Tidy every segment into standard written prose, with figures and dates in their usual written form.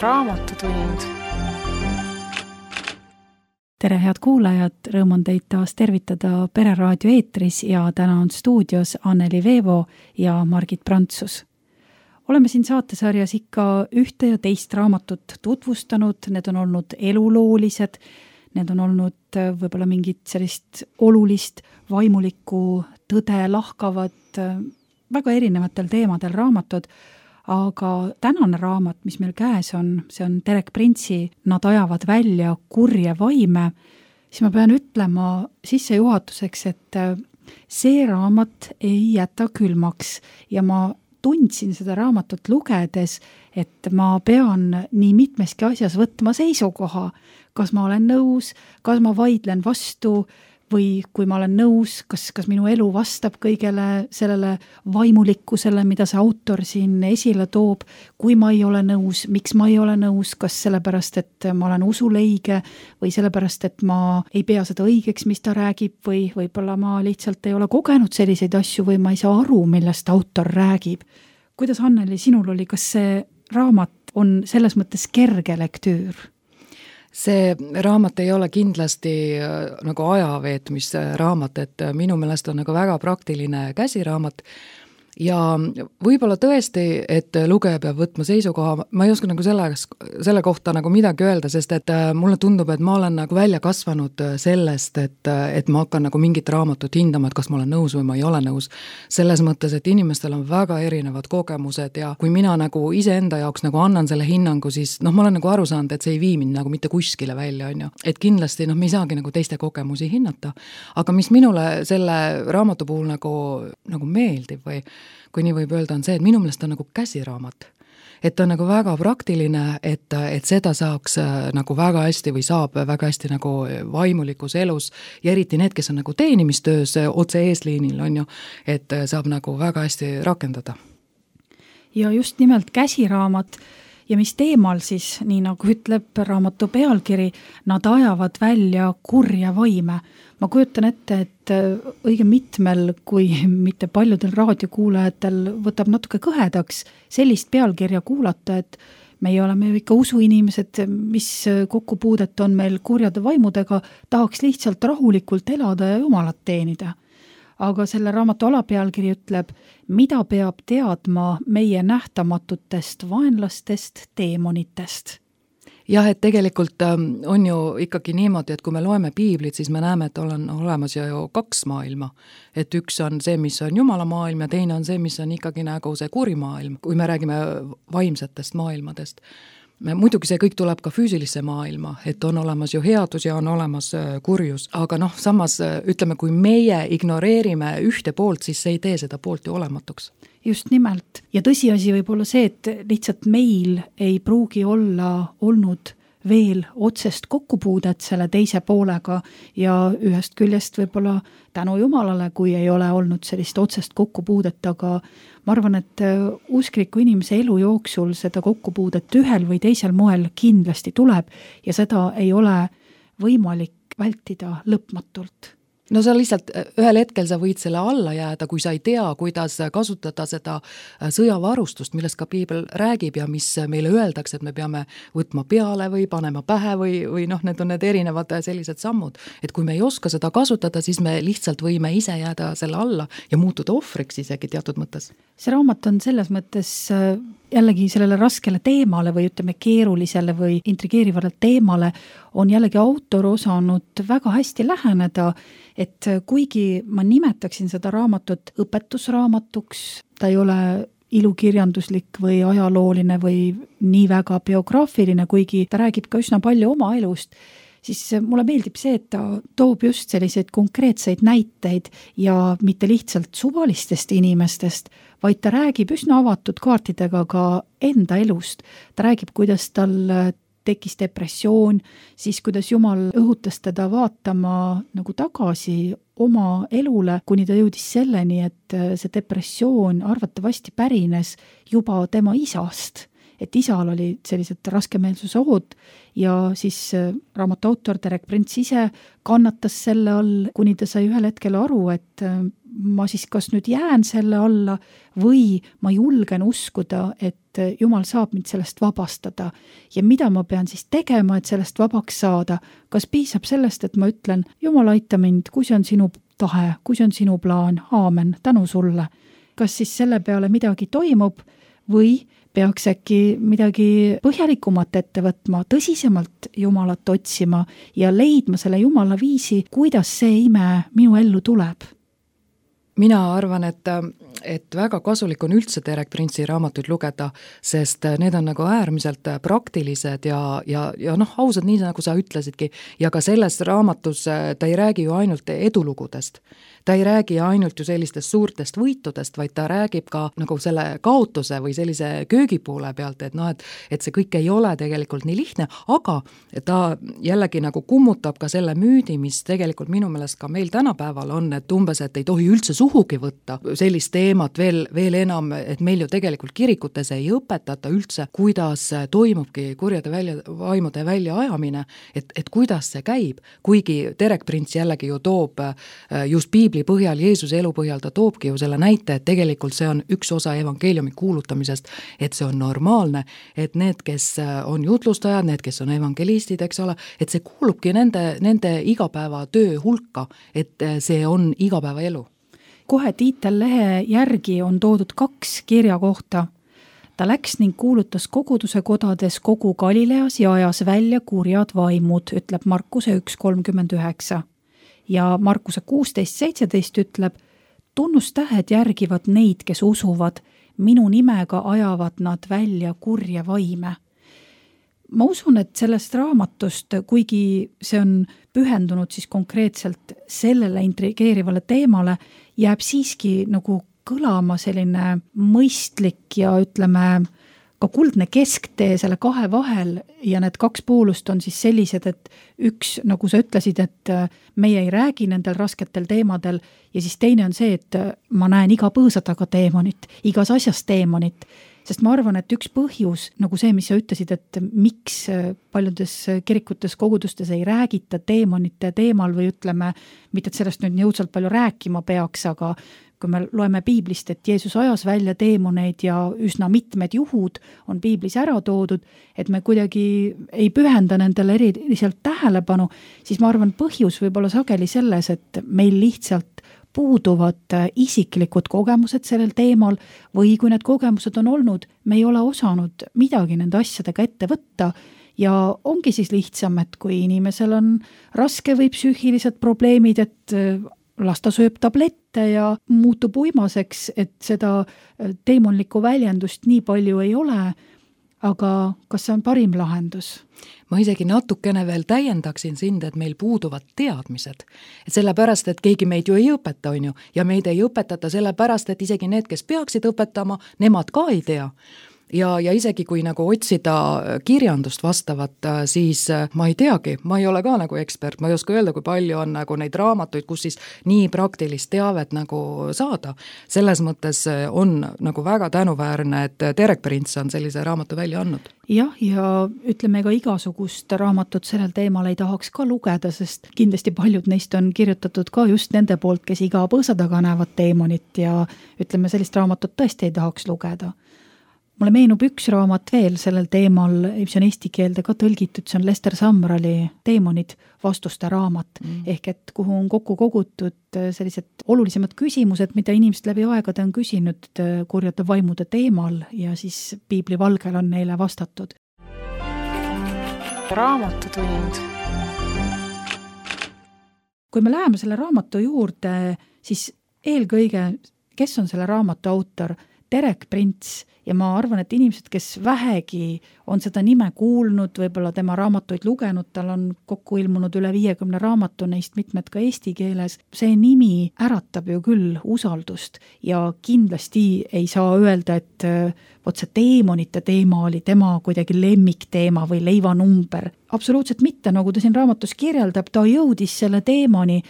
Raamatutund. Tere, head kuulajad! Rõõm on teid taas tervitada Pereraadio eetris ja täna on stuudios Anneli Veevo ja Margit Prantsus. Oleme siin saatesarjas ikka ühte ja teist raamatut tutvustanud, need on olnud eluloolised, need on olnud võib-olla mingit sellist olulist vaimulikku tõde lahkavad väga erinevatel teemadel raamatud, aga tänane raamat, mis meil käes on, see on Terek Printsi Nad ajavad välja kurje vaime, siis ma pean ütlema sissejuhatuseks, et see raamat ei jäta külmaks ja ma tundsin seda raamatut lugedes, et ma pean nii mitmeski asjas võtma seisukoha, kas ma olen nõus, kas ma vaidlen vastu või kui ma olen nõus, kas minu elu vastab kõigele sellele vaimulikkusele, mida see autor siin esile toob, kui ma ei ole nõus, miks ma ei ole nõus, kas sellepärast, et ma olen usuleige või sellepärast, et ma ei pea seda õigeks, mis ta räägib või võib-olla ma lihtsalt ei ole kogenud selliseid asju või ma ei saa aru, millest autor räägib. Kuidas, Anneli, sinul oli, kas see raamat on selles mõttes kerge lektüür? See raamat ei ole kindlasti nagu ajaveetmise raamat, et minu meelest on nagu väga praktiline käsiraamat ja võib-olla tõesti, et lugeja peab võtma seisukoha, ma ei oska nagu selle kohta nagu midagi öelda, sest et mulle tundub, et ma olen nagu välja kasvanud sellest, et ma hakkan nagu mingit raamatut hindama, et kas ma olen nõus või ma ei ole nõus. Selles mõttes, et inimestel on väga erinevad kogemused ja kui mina nagu iseenda jaoks nagu annan selle hinnangu, siis ma olen nagu aru saanud, et see ei vii mind nagu mitte kuskile välja, on ju. Et kindlasti me ei saagi nagu teiste kogemusi hinnata. Aga mis minule selle raamatu puhul nagu meeldib või kui nii võib öelda, on see, et minu meelest on nagu käsiraamat. Et on nagu väga praktiline, et seda saaks nagu väga hästi või saab väga hästi nagu vaimulikus elus ja eriti need, kes on nagu teenimistöös otse eesliinil, on ju, et saab nagu väga hästi rakendada. Ja just nimelt käsiraamat ja mis teemal siis, nii nagu ütleb raamatu pealkiri, nad ajavad välja kurja vaime. Ma kujutan ette, et õige mitmel, kui mitte paljudel raadiokuulajatel võtab natuke kõhedaks sellist pealkirja kuulata, et meie oleme ju ikka usuinimesed, mis kokkupuudet on meil kurjade vaimudega, tahaks lihtsalt rahulikult elada ja Jumalat teenida. Aga selle raamatu alapealkiri ütleb, mida peab teadma meie nähtamatutest vaenlastest, teemonitest. Jah, et tegelikult on ju ikkagi niimoodi, et kui me loeme piiblit, siis me näeme, et on olemas ju kaks maailma. Et üks on see, mis on Jumala maailm ja teine on see, mis on ikkagi nagu see kurimaailm, kui me räägime vaimsetest maailmadest. Muidugi see kõik tuleb ka füüsilisse maailma, et on olemas ju headus ja on olemas kurjus, aga samas ütleme, kui meie ignoreerime ühte poolt, siis see ei tee seda poolt ju olematuks. Just nimelt. Ja tõsiasi võib olla see, et lihtsalt meil ei pruugi olla olnud veel otsest kokkupuudet selle teise poolega ja ühest küljest võib-olla tänu Jumalale, kui ei ole olnud sellist otsest kokkupuudet, aga ma arvan, et uskliku inimese elu jooksul seda kokkupuudet ühel või teisel moel kindlasti tuleb ja seda ei ole võimalik vältida lõpmatult. No sa lihtsalt ühel hetkel sa võid selle alla jääda, kui sa ei tea, kuidas kasutada seda sõjavarustust, millest ka piibel räägib ja mis meile öeldakse, et me peame võtma peale või panema pähe või need on need erinevad sellised sammud. Et kui me ei oska seda kasutada, siis me lihtsalt võime ise jääda selle alla ja muutuda ohvriks isegi teatud mõttes. See raamat on selles mõttes jällegi sellele raskele teemale või ütleme keerulisele või intrigeerivale teemale on jällegi autor osanud väga hästi läheneda, et kuigi ma nimetaksin seda raamatut õpetusraamatuks, ta ei ole ilukirjanduslik või ajalooline või nii väga biograafiline, kuigi ta räägib ka üsna palju oma elust, siis mulle meeldib see, et ta toob just selliseid konkreetseid näiteid ja mitte lihtsalt suvalistest inimestest, vaid ta räägib üsna avatud kaartidega ka enda elust. Ta räägib, kuidas tal tekkis depressioon, siis kuidas Jumal õhutas teda vaatama nagu tagasi oma elule, kuni ta jõudis selleni, et see depressioon arvatavasti pärines juba tema isast. Et isal oli sellised raskemeelsuse ohud ja siis raamatu autor Terek Prints ise kannatas selle all, kuni ta sai ühel hetkel aru, et ma siis kas nüüd jään selle alla või ma julgen uskuda, et Jumal saab mind sellest vabastada ja mida ma pean siis tegema, et sellest vabaks saada. Kas piisab sellest, et ma ütlen, Jumal aita mind, kui see on sinu tahe, kui see on sinu plaan, aamen, tänu sulle. Kas siis selle peale midagi toimub või peaks äkki midagi põhjalikumat ette võtma, tõsisemalt Jumalat otsima ja leidma selle Jumala viisi, kuidas see ime minu ellu tuleb? Mina arvan, et väga kasulik on üldse Derek Prince'i raamatuid lugeda, sest need on nagu äärmiselt praktilised ja ausad, nii nagu sa ütlesidki, ja ka selles raamatus ta ei räägi ju ainult edulugudest. Ta ei räägi ainult ju sellistest suurtest võitudest, vaid ta räägib ka nagu selle kaotuse või sellise köögipoole pealt, et see kõik ei ole tegelikult nii lihtne, aga ta jällegi nagu kummutab ka selle müüdi, mis tegelikult minu meelest ka meil tänapäeval on, et umbes, et ei tohi üldse suhugi võtta sellist teemat veel enam, et meil ju tegelikult kirikutes ei õpetata üldse, kuidas toimubki kurjade vaimude väljaajamine, et kuidas see käib, kuigi Derek Prince jällegi ju toob just Piibli põhjal, Jeesuse elu põhjal ta toobki ju selle näite, et tegelikult see on üks osa evangeeliumi kuulutamisest, et see on normaalne, et need, kes on jutlustajad, need, kes on evangelistid, eks ole, et see kuulubki nende igapäevatöö hulka, et see on igapäevaelu. Kohe Tiitel lehe järgi on toodud 2 kirja kohta. Ta läks ning kuulutas koguduse kodades kogu Galileas ja ajas välja kurjad vaimud, ütleb Markuse 1.39. Ja Markuse 16.17 ütleb, tunnustähed järgivad neid, kes usuvad, minu nimega ajavad nad välja kurje vaime. Ma usun, et sellest raamatust, kuigi see on pühendunud siis konkreetselt sellele intrigeerivale teemale, jääb siiski nagu kõlama selline mõistlik ja ütleme ka kuldne kesktee selle 2 vahel ja need 2 poolust on siis sellised, et üks, nagu sa ütlesid, et meie ei räägi nendel rasketel teemadel ja siis teine on see, et ma näen iga põõsa taga teemonit, igas asjas teemonit, sest ma arvan, et üks põhjus, nagu see, mis sa ütlesid, et miks paljudes kirikutes, kogudustes ei räägita teemonite teemal või ütleme, mitte et sellest nüüd jõudsalt palju rääkima peaks, aga kui me loeme Piiblist, et Jeesus ajas välja teemoneid ja üsna mitmed juhud on Piiblis ära toodud, et me kuidagi ei pühenda nendele eriliselt tähelepanu, siis ma arvan, põhjus võib olla sageli selles, et meil lihtsalt puuduvad isiklikud kogemused sellel teemal või kui need kogemused on olnud, me ei ole osanud midagi nende asjadega ette võtta ja ongi siis lihtsam, et kui inimesel on raske või psüühilised probleemid, et las ta sööb tablette ja muutub uimaseks, et seda teemonlikku väljendust nii palju ei ole, aga kas see on parim lahendus? Ma isegi natukene veel täiendaksin sind, et meil puuduvad teadmised. Et sellepärast, et keegi meid ju ei õpeta, on ju, ja meid ei õpetata sellepärast, et isegi need, kes peaksid õpetama, nemad ka ei tea. Ja isegi kui nagu otsida kirjandust vastavat, siis ma ei teagi, ma ei ole ka nagu ekspert, ma ei oska öelda, kui palju on nagu neid raamatuid, kus siis nii praktilist teavet nagu saada. Selles mõttes on nagu väga tänuväärne, et Derek Prince on sellise raamatu välja andnud. Jah, ja ütleme ka igasugust raamatut sellel teemal ei tahaks ka lugeda, sest kindlasti paljud neist on kirjutatud ka just nende poolt, kes iga põõsa taga näevad teemonit ja ütleme, sellist raamatut tõesti ei tahaks lugeda. Mulle meenub üks raamat veel sellel teemal, mis on eesti keelde ka tõlgitud, see on Lester Sumralli Teemonid vastuste raamat, ehk et kuhu on kokku kogutud sellised olulisemad küsimused, mida inimesed läbi aegade on küsinud kurjade vaimude teemal ja siis Piibli valgel on neile vastatud. Raamatutund. Kui me läheme selle raamatu juurde, siis eelkõige, kes on selle raamatu autor? Derek Prince ja ma arvan, et inimesed, kes vähegi on seda nime kuulnud, võib-olla tema raamatuid lugenud, tal on kokku ilmunud üle 50 raamatu, neist mitmed ka eesti keeles. See nimi äratab ju küll usaldust ja kindlasti ei saa öelda, et vot see teemonite teema oli tema kuidagi lemmikteema või leivanumber. Absoluutselt mitte, nagu ta siin raamatus kirjeldab, ta jõudis selle teemani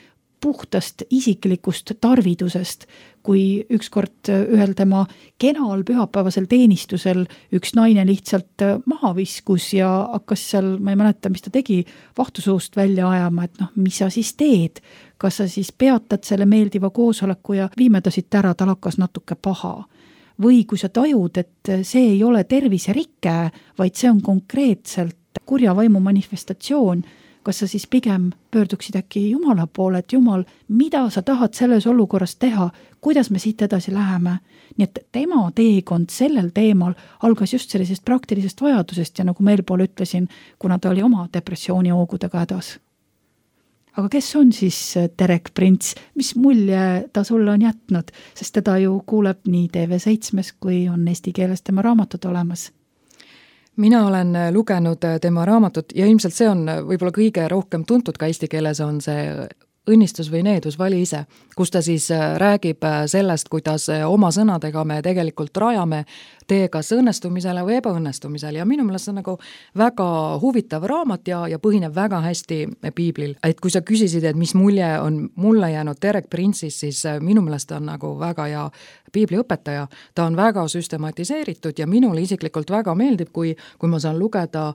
puhtast isiklikust tarvidusest, kui ükskord ühel tema kenal pühapäevasel teenistusel üks naine lihtsalt maha viskus ja hakkas seal, ma ei mäleta, mis ta tegi, vahtusuust välja ajama, et mis sa siis teed? Kas sa siis peatad selle meeldiva koosoleku ja viime ta siit ära, tal hakkas natuke paha. Või kui sa tajud, et see ei ole terviserike, vaid see on konkreetselt kurja vaimu manifestatsioon, kas sa siis pigem pöörduksid äkki Jumala poole, et Jumal, mida sa tahad selles olukorras teha, kuidas me siit edasi läheme? Nii et tema teekond sellel teemal algas just sellisest praktilisest vajadusest ja nagu ma eelpool ütlesin, kuna ta oli oma depressiooni hoogudega hädas. Aga kes on siis Derek Prince? Mis mulje ta sulle on jätnud? Sest teda ju kuuleb nii TV7 kui on eesti keeles tema raamatud olemas. Mina olen lugenud tema raamatut ja ilmselt see on võib-olla kõige rohkem tuntud ka eesti keeles on see õnnistus või needus, vali ise, kus ta siis räägib sellest, kuidas oma sõnadega me tegelikult rajame tee kas õnnestumisele või ebaõnnestumisele ja minu meelest see on nagu väga huvitav raamat ja põhineb väga hästi piiblil. Et kui sa küsisid, et mis mulje on mulle jäänud Derek Prince'ist, siis minu meelest on nagu väga hea piibliõpetaja. Ta on väga süstematiseeritud ja minule isiklikult väga meeldib, kui ma saan lugeda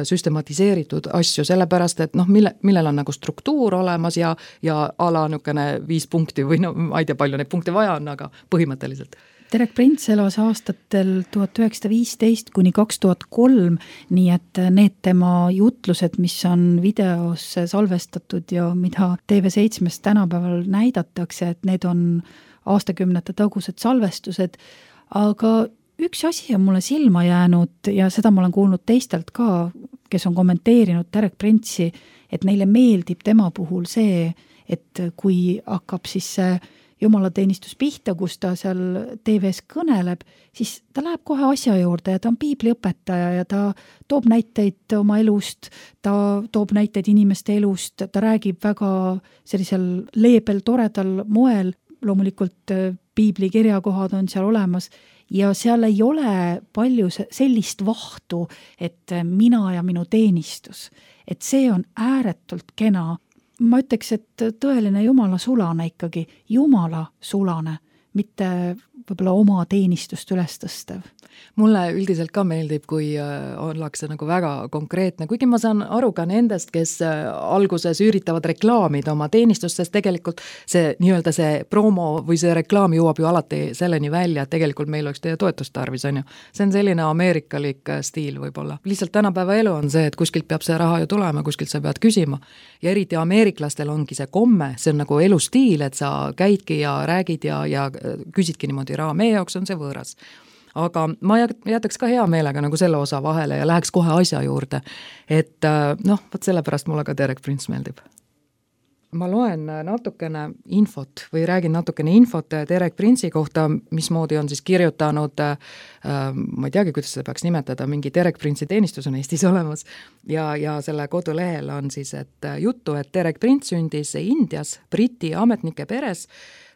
süstematiseeritud asju, sellepärast, et millel on nagu struktuur olemas ja ala nükene 5 punkti või ma ei tea, palju neid punkte vaja on, aga põhimõtteliselt. Derek Prince elas aastatel 1915 kuni 2003, nii et need tema jutlused, mis on videosse salvestatud ja mida TV7 tänapäeval näidatakse, et need on aastakümnete tagused salvestused, aga üks asi on mulle silma jäänud ja seda ma olen kuulnud teistelt ka, kes on kommenteerinud Derek Prince'i, et neile meeldib tema puhul see, et kui hakkab siis see jumalateenistus pihta, kus ta seal TV-s kõneleb, siis ta läheb kohe asja juurde ja ta on piibliõpetaja ja ta toob näiteid oma elust, ta toob näiteid inimeste elust, ta räägib väga sellisel leebel, toredal moel, loomulikult piibli kirjakohad on seal olemas ja seal ei ole palju sellist vahtu, et mina ja minu teenistus, et see on ääretult kena. Ma ütleks, et tõeline Jumala sulane ikkagi, Jumala sulane, mitte võib-olla oma teenistust üles tõstev. Mulle üldiselt ka meeldib, kui ollakse nagu väga konkreetne, kuigi ma saan aru ka nendest, kes alguses üritavad reklaamida oma teenistust, sest tegelikult see nii-öelda see promo või see reklaam jõuab ju alati selleni välja, et tegelikult meil oleks teie toetust tarvis, on ju. See on selline ameerikalik stiil võib-olla. Lihtsalt tänapäeva elu on see, et kuskilt peab see raha ju tulema, kuskilt sa pead küsima. Ja eriti ameeriklastel ongi see komme, see on nagu elustiil, et sa käidki ja räägid ja küsidki niimoodi raha. Meie jaoks on see võõras. Aga ma jätaks ka hea meelega nagu selle osa vahele ja läheks kohe asja juurde. Et võt sellepärast mulle ka Derek Prince meeldib. Ma loen natukene infot või räägin natukene infot Derek Prince'i kohta, mismoodi on siis kirjutanud, ma ei teagi, kuidas seda peaks nimetada, mingi Derek Prince'i teenistus on Eestis olemas ja selle kodulehel on siis juttu, et Derek Prince sündis Indias Briti ametnike peres.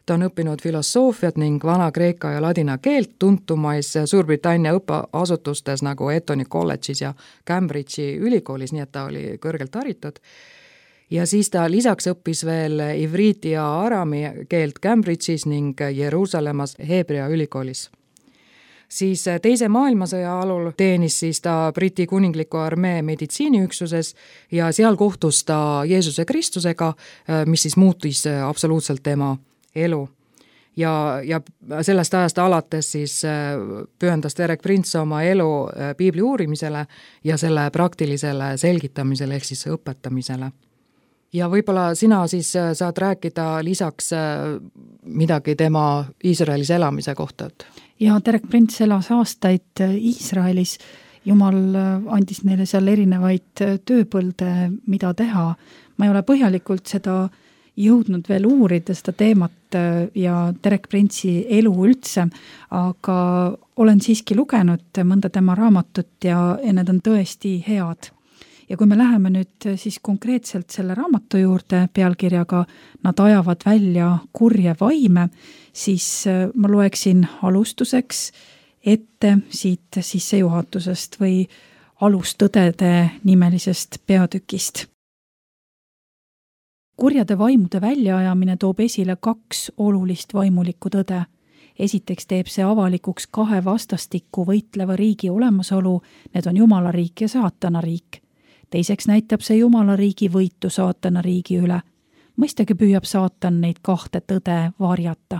Ta on õppinud filosoofiat ning vana-kreeka ja ladina keelt tuntumais Suurbritannia õppeasutustes nagu Etoni kolledžis ja Cambridge'i ülikoolis, nii et ta oli kõrgelt haritud. Ja siis ta lisaks õppis veel ivriiti ja arami keelt Cambridge'is ning Jeruusalemmas Heebrea ülikoolis. Siis teise maailmasõja alul teenis siis ta Briti kuningliku armee meditsiiniüksuses ja seal kohtus ta Jeesuse Kristusega, mis siis muutis absoluutselt tema elu. Ja sellest ajast alates siis pühendas Derek Prince oma elu piibli uurimisele ja selle praktilisele selgitamisele ehk siis õpetamisele. Ja võib-olla sina siis saad rääkida lisaks midagi tema Iisraelis elamise kohta? Ja Derek Prince elas aastaid Iisraelis. Jumal andis neile seal erinevaid tööpõlde, mida teha. Ma ei ole põhjalikult seda jõudnud veel uurida seda teemat ja Derek Prince'i elu üldse, aga olen siiski lugenud mõnda tema raamatut ja need on tõesti head. Ja kui me läheme nüüd siis konkreetselt selle raamatu juurde pealkirjaga Nad ajavad välja kurje vaime, siis ma loeksin alustuseks ette siit sissejuhatusest või alustõdede nimelisest peatükist. kurjade vaimude väljaajamine toob esile 2 olulist vaimulikku tõde. Esiteks teeb see avalikuks 2 vastastikku võitleva riigi olemasolu, need on Jumala riik ja saatana riik. Teiseks näitab see Jumala riigi võitu saatana riigi üle. Mõistagi püüab saatan neid 2 tõde varjata.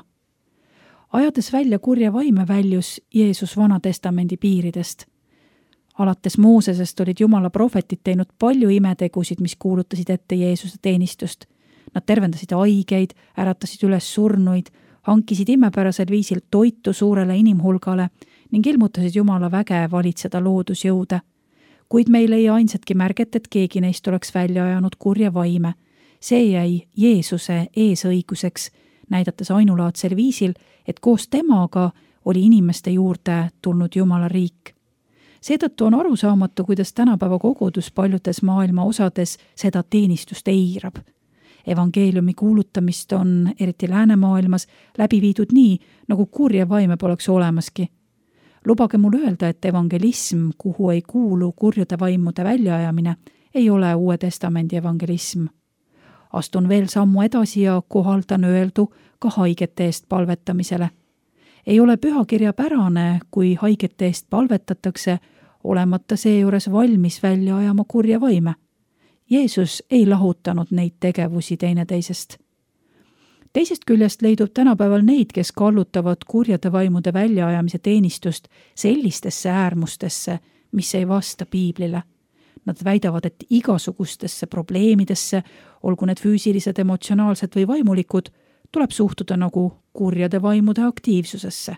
Ajades välja kurja vaime väljus Jeesus Vana Testamendi piiridest. Alates Moosesest olid Jumala prohvetid teinud palju imetegusid, mis kuulutasid ette Jeesuse teenistust. Nad tervendasid haigeid, äratasid üles surnuid, hankisid imepärasel viisil toitu suurele inimhulgale ning ilmutasid Jumala väge valitseda loodusjõude. Kuid meil ei ainsatki märget, et keegi neist oleks välja ajanud kurja vaime. See jäi Jeesuse eesõiguseks, näidates ainulaadsel viisil, et koos temaga oli inimeste juurde tulnud Jumala riik. Seetõttu on arusaamatu, kuidas tänapäeva kogudus paljudes maailma osades seda teenistust eirab. Evangeeliumi kuulutamist on, eriti läänemaailmas, läbi viidud nii, nagu kurja vaime poleks olemaski. Lubage mul öelda, et evangelism, kuhu ei kuulu kurjude vaimude väljaajamine, ei ole Uue Testamendi evangelism. Astun veel sammu edasi ja kohaldan öeldu ka haigete eest palvetamisele. Ei ole pühakirja pärane, kui haigete eest palvetatakse, olemata seejuures valmis välja ajama kurja vaime. Jeesus ei lahutanud neid tegevusi teineteisest. Teisest küljest leidub tänapäeval neid, kes kallutavad kurjade vaimude väljaajamise teenistust sellistesse äärmustesse, mis ei vasta piiblile. Nad väidavad, et igasugustesse probleemidesse, olgu need füüsilised, emotsionaalsed või vaimulikud, tuleb suhtuda nagu kurjade vaimude aktiivsusesse.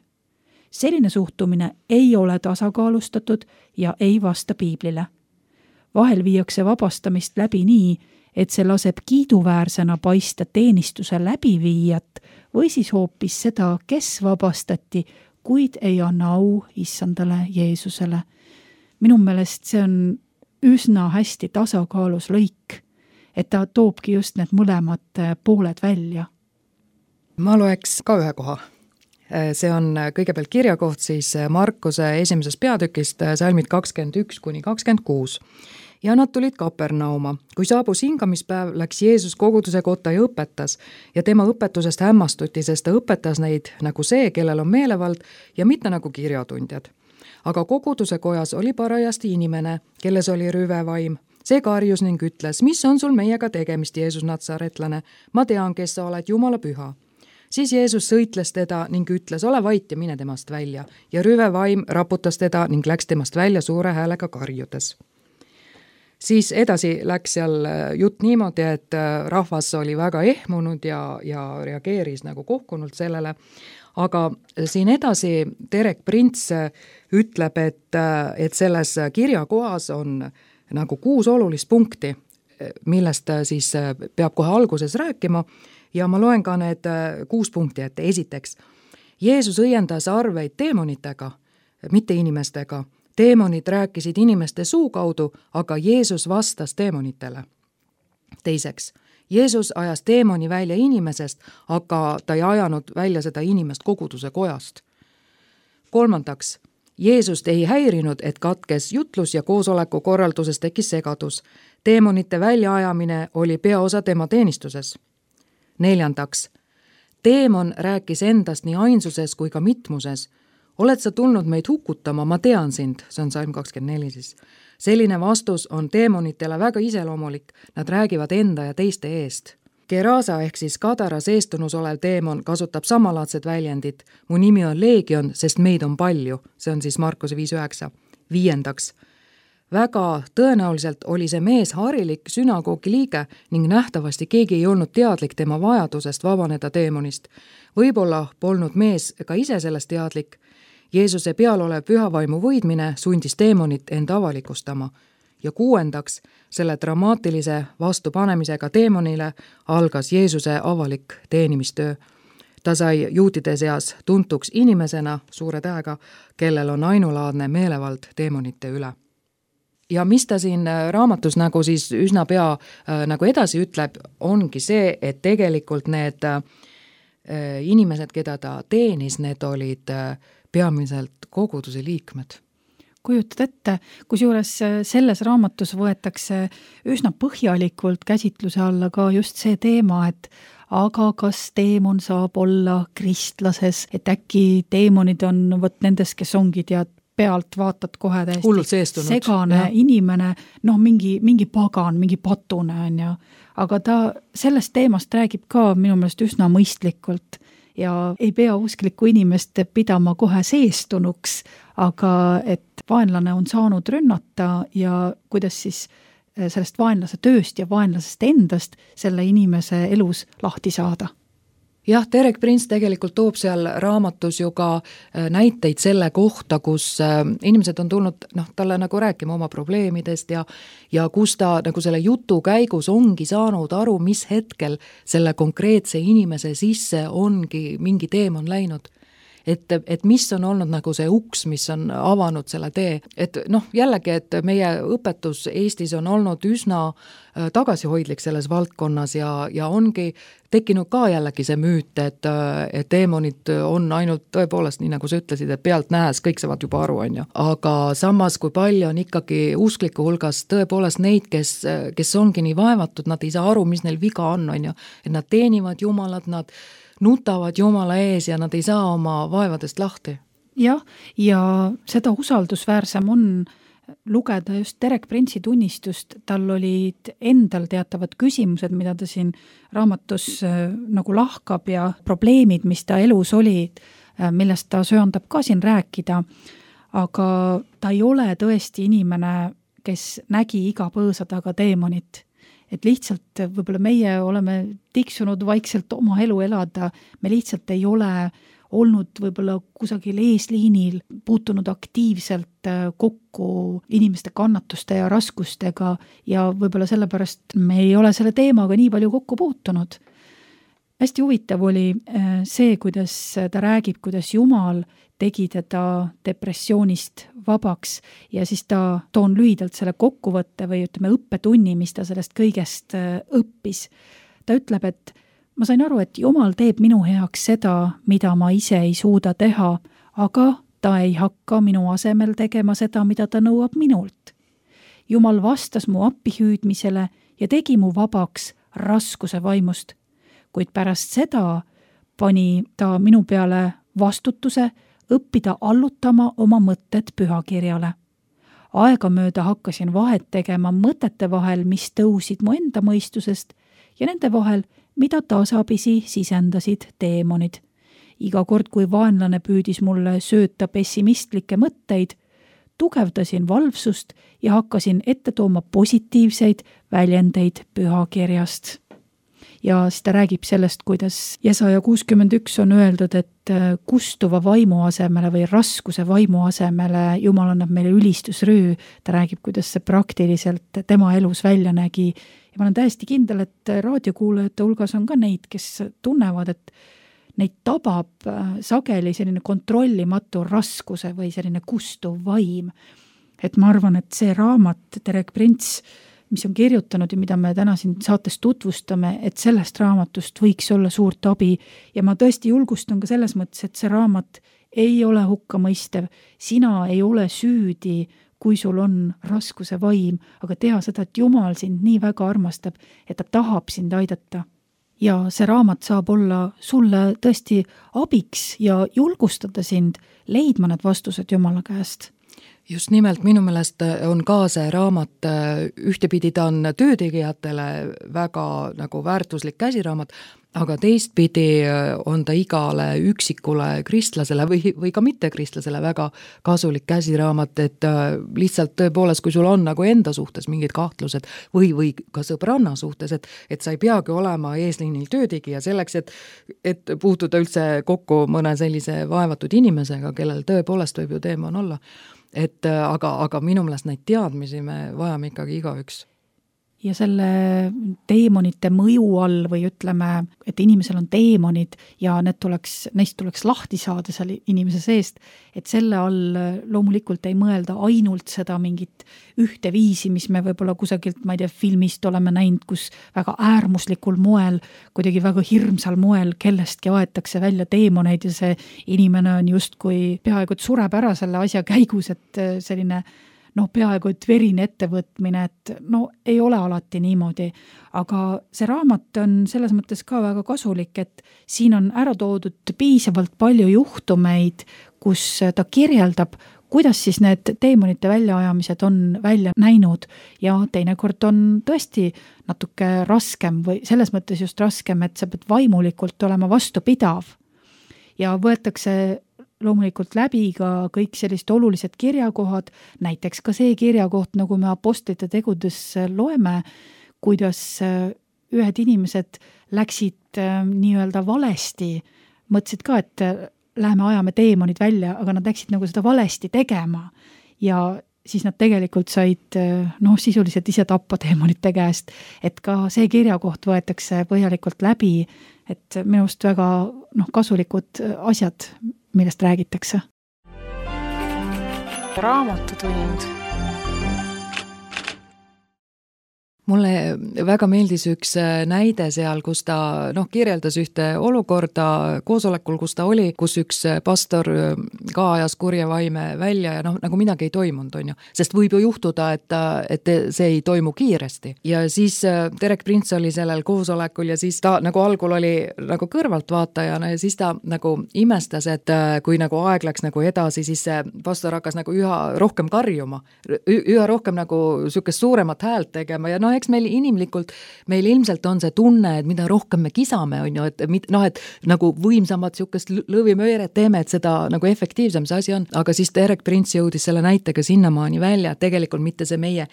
Selline suhtumine ei ole tasakaalustatud ja ei vasta piiblile. Vahel viiakse vabastamist läbi nii, et see laseb kiiduväärsena paista teenistuse läbiviijat või siis hoopis seda, kes vabastati, kuid ei anna au issandale Jeesusele. Minu meelest see on üsna hästi tasakaalus lõik, et ta toobki just need mõlemad pooled välja. Ma loeks ka ühe koha. See on kõigepealt kirjakoht siis Markuse 1. peatükist, salmid 21–26. Ja nad tulid Kapernauma. Kui saabus hingamispäev, läks Jeesus koguduse kotta ja õpetas. Ja tema õpetusest hämmastuti, sest ta õpetas neid nagu see, kellel on meelevald ja mitte nagu kirjatundjad. Aga koguduse kojas oli parajasti inimene, kelles oli rüvevaim. See karjus ning ütles, mis on sul meiega tegemist, Jeesus Natsaretlane? Ma tean, kes sa oled, Jumala püha. Siis Jeesus sõitles teda ning ütles, ole vait ja mine temast välja. Ja rüvevaim raputas teda ning läks temast välja suure häälega karjudes. Siis edasi läks seal jutt niimoodi, et rahvas oli väga ehmunud ja reageeris nagu kohkunult sellele. Aga siin edasi Terek Prints ütleb, et selles kirjakohas on nagu 6 olulist punkti, millest siis peab kohe alguses rääkima. Ja ma loen ka need 6 punkti ette. Esiteks, Jeesus õiendas arveid teemonitega, mitte inimestega. Teemonid rääkisid inimeste suu kaudu, aga Jeesus vastas teemonitele. Teiseks, Jeesus ajas teemoni välja inimesest, aga ta ei ajanud välja seda inimest koguduse kojast. Kolmandaks, Jeesust ei häirinud, et katkes jutlus ja koosoleku korralduses tekkis segadus. Teemonite väljaajamine oli peaosa tema teenistuses. Neljandaks, teemon rääkis endast nii ainsuses kui ka mitmuses. Oled sa tulnud meid hukutama, ma tean sind, see on salm 24 siis. Selline vastus on teemonitele väga iseloomulik, nad räägivad enda ja teiste eest. Gerasa ehk siis Kadaras eestunus olev teemon kasutab samalaadsed väljendid. Mu nimi on Leegion, sest meid on palju, see on siis Markuse 5.9. Viiendaks, väga tõenäoliselt oli see mees harilik sünagoogi liige ning nähtavasti keegi ei olnud teadlik tema vajadusest vabaneda teemonist. Võib-olla polnud mees ka ise sellest teadlik. Jeesuse peal olev pühavaimu võidmine sundis teemonit enda avalikustama. Ja kuuendaks, selle dramaatilise vastupanemisega teemonile algas Jeesuse avalik teenimistöö. Ta sai juutide seas tuntuks inimesena suure tähega, kellel on ainulaadne meelevald teemonite üle. Ja mis ta siin raamatus nagu siis üsna pea nagu edasi ütleb, ongi see, et tegelikult need inimesed, keda ta teenis, need olid peamiselt koguduse liikmed. kujutad ette, kusjuures selles raamatus võetakse üsna põhjalikult käsitluse alla ka just see teema, et aga kas teemon saab olla kristlases, et äkki teemonid on vot nendes, kes ongi tead, pealt vaatad kohe täiesti segane inimene, mingi pagan, mingi patune on ju, aga ta sellest teemast räägib ka minu meelest üsna mõistlikult ja ei pea usklikku inimest pidama kohe seestunuks, aga et vaenlane on saanud rünnata ja kuidas siis sellest vaenlase tööst ja vaenlasest endast selle inimese elus lahti saada. Jah, Derek Prince tegelikult toob seal raamatus ju ka näiteid selle kohta, kus inimesed on tulnud talle nagu rääkima oma probleemidest ja kus ta nagu selle jutu käigus ongi saanud aru, mis hetkel selle konkreetse inimese sisse ongi mingi teemon läinud. Et mis on olnud nagu see uks, mis on avanud selle tee. Et jällegi, et meie õpetus Eestis on olnud üsna tagasihoidlik selles valdkonnas ja ongi tekkinud ka jällegi see müüt, et teemonid on ainult tõepoolest, nii nagu sa ütlesid, et pealt nähes, kõik saavad juba aru, on ju. Aga samas, kui palju on ikkagi uskliku hulgas tõepoolest neid, kes ongi nii vaevatud, nad ei saa aru, mis neil viga on ju. Et nad teenivad Jumalat, nad nutavad Jumala ees ja nad ei saa oma vaevadest lahti. Jah, ja seda usaldusväärsem on lugeda just Derek Prince'i tunnistust, tal olid endal teatavad küsimused, mida ta siin raamatus nagu lahkab ja probleemid, mis ta elus olid, millest ta söandab ka siin rääkida, aga ta ei ole tõesti inimene, kes nägi iga põõsa taga teemonit. Et lihtsalt võib-olla meie oleme tiksunud vaikselt oma elu elada, me lihtsalt ei ole olnud võib-olla kusagil eesliinil, puutunud aktiivselt kokku inimeste kannatuste ja raskustega ja võib-olla sellepärast me ei ole selle teemaga nii palju kokku puutunud. Hästi huvitav oli see, kuidas ta räägib, kuidas Jumal tegi teda depressioonist vabaks ja siis ta toon lühidalt selle kokkuvõtte või ütleme õppetunni, mis ta sellest kõigest õppis. Ta ütleb, et ma sain aru, et Jumal teeb minu heaks seda, mida ma ise ei suuda teha, aga ta ei hakka minu asemel tegema seda, mida ta nõuab minult. Jumal vastas mu appihüüdmisele ja tegi mu vabaks raskuse vaimust, kuid pärast seda pani ta minu peale vastutuse õppida allutama oma mõtted pühakirjale. Aegamööda hakkasin vahet tegema mõtete vahel, mis tõusid mu enda mõistusest ja nende vahel, mida tasapisi sisendasid teemonid. Iga kord, kui vaenlane püüdis mulle sööta pessimistlikke mõtteid, tugevdasin valvsust ja hakkasin ette tooma positiivseid väljendeid pühakirjast. Ja siis ta räägib sellest, kuidas Jesaja 61 on öeldud, et kustuva vaimu asemele või raskuse vaimu asemele Jumal annab meile ülistusrüü. Ta räägib, kuidas see praktiliselt tema elus välja nägi. Ja ma olen täiesti kindel, et raadiokuulajate hulgas on ka neid, kes tunnevad, et neid tabab sageli selline kontrollimatu raskuse või selline kustuv vaim. Et ma arvan, et see raamat Derek Prince, mis on kirjutanud ja mida me täna siin saates tutvustame, et sellest raamatust võiks olla suurt abi ja ma tõesti julgustan ka selles mõttes, et see raamat ei ole hukkamõistev, sina ei ole süüdi, kui sul on raskuse vaim, aga tea seda, et Jumal sind nii väga armastab, et ta tahab sind aidata. Ja see raamat saab olla sulle tõesti abiks ja julgustada sind leidma need vastused Jumala käest. Just nimelt minu meelest on ka see raamat, ühtepidi ta on töötegijatele väga nagu väärtuslik käsiraamat, aga teistpidi on ta igale üksikule kristlasele või ka mittekristlasele väga kasulik käsiraamat, et lihtsalt tõepoolest, kui sul on nagu enda suhtes mingid kahtlused või ka sõbranna suhtes, et sa ei peagi olema eesliinil töötegija selleks, et puutuda üldse kokku mõne sellise vaevatud inimesega, kellel tõepoolest võib ju teemon olla. Aga minu meelest neid teadmisi me vajame ikkagi igaüks. ja selle teemonite mõju all või ütleme, et inimesel on teemonid ja neist tuleks lahti saada seal inimese seest, et selle all loomulikult ei mõelda ainult seda mingit ühte viisi, mis me võib-olla kusagilt, ma ei tea, filmist oleme näinud, kus väga äärmuslikul moel, kuidagi väga hirmsal moel kellestki aetakse välja teemoneid ja see inimene on justkui peaaegu et sureb ära selle asja käigus, et selline peaaegu et verine ettevõtmine, et ei ole alati niimoodi, aga see raamat on selles mõttes ka väga kasulik, et siin on ära toodud piisavalt palju juhtumeid, kus ta kirjeldab, kuidas siis need teemonite väljaajamised on välja näinud ja teinekord on tõesti natuke raskem või selles mõttes just raskem, et sa pead vaimulikult olema vastupidav ja võetakse loomulikult läbi ka kõik sellised olulised kirjakohad, näiteks ka see kirjakoht, nagu me apostlite tegudes loeme, kuidas ühed inimesed läksid nii-öelda valesti, mõtlesid ka, et läheme ajame teemonid välja, aga nad läksid nagu seda valesti tegema ja siis nad tegelikult said sisuliselt ise tappa teemonite käest, et ka see kirjakoht võetakse põhjalikult läbi, et minu arust väga kasulikud asjad, millest räägitakse. Raamatutund. Mulle väga meeldis üks näide seal, kus ta kirjeldas ühte olukorda koosolekul, kus ta oli, kus üks pastor ka ajas kurja vaime välja ja nagu midagi ei toimunud, on ju. Sest võib ju juhtuda, et see ei toimu kiiresti. Ja siis Derek Prince oli sellel koosolekul ja siis ta nagu algul oli nagu kõrvaltvaatajana ja siis ta nagu imestas, et kui nagu aeg läks nagu edasi, siis see pastor hakkas nagu üha rohkem karjuma, üha rohkem nagu sükest suuremat häält tegema ja eks meil inimlikult, meil ilmselt on see tunne, et mida rohkem me kisame, on ju, et nagu võimsamad sükest lõvimööret teeme, et seda nagu efektiivsem see asi on, aga siis Derek Prince jõudis selle näitega sinnamaani välja, et tegelikult mitte see meie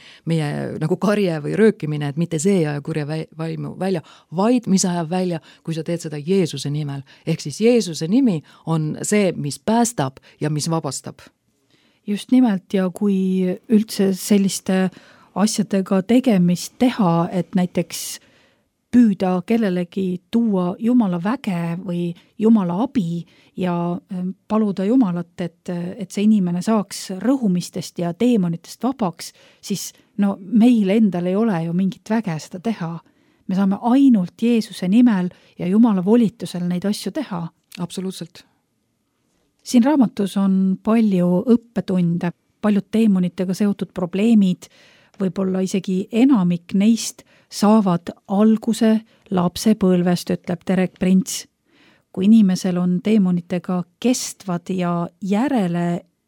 nagu karje või röökimine, et mitte see aja kurja vaimu välja, vaid mis ajab välja, kui sa teed seda Jeesuse nimel. Ehk siis Jeesuse nimi on see, mis päästab ja mis vabastab. Just nimelt ja kui üldse selliste asjadega tegemist teha, et näiteks püüda kellelegi tuua Jumala väge või Jumala abi ja paluda Jumalat, et see inimene saaks rõhumistest ja teemonitest vabaks, siis meil endal ei ole ju mingit väge seda teha. Me saame ainult Jeesuse nimel ja Jumala volitusel neid asju teha. Absoluutselt. Siin raamatus on palju õppetunde, paljud teemonitega seotud probleemid, võib-olla isegi enamik neist saavad alguse lapsepõlvest, ütleb Derek Prince. Kui inimesel on teemonitega kestvad ja järele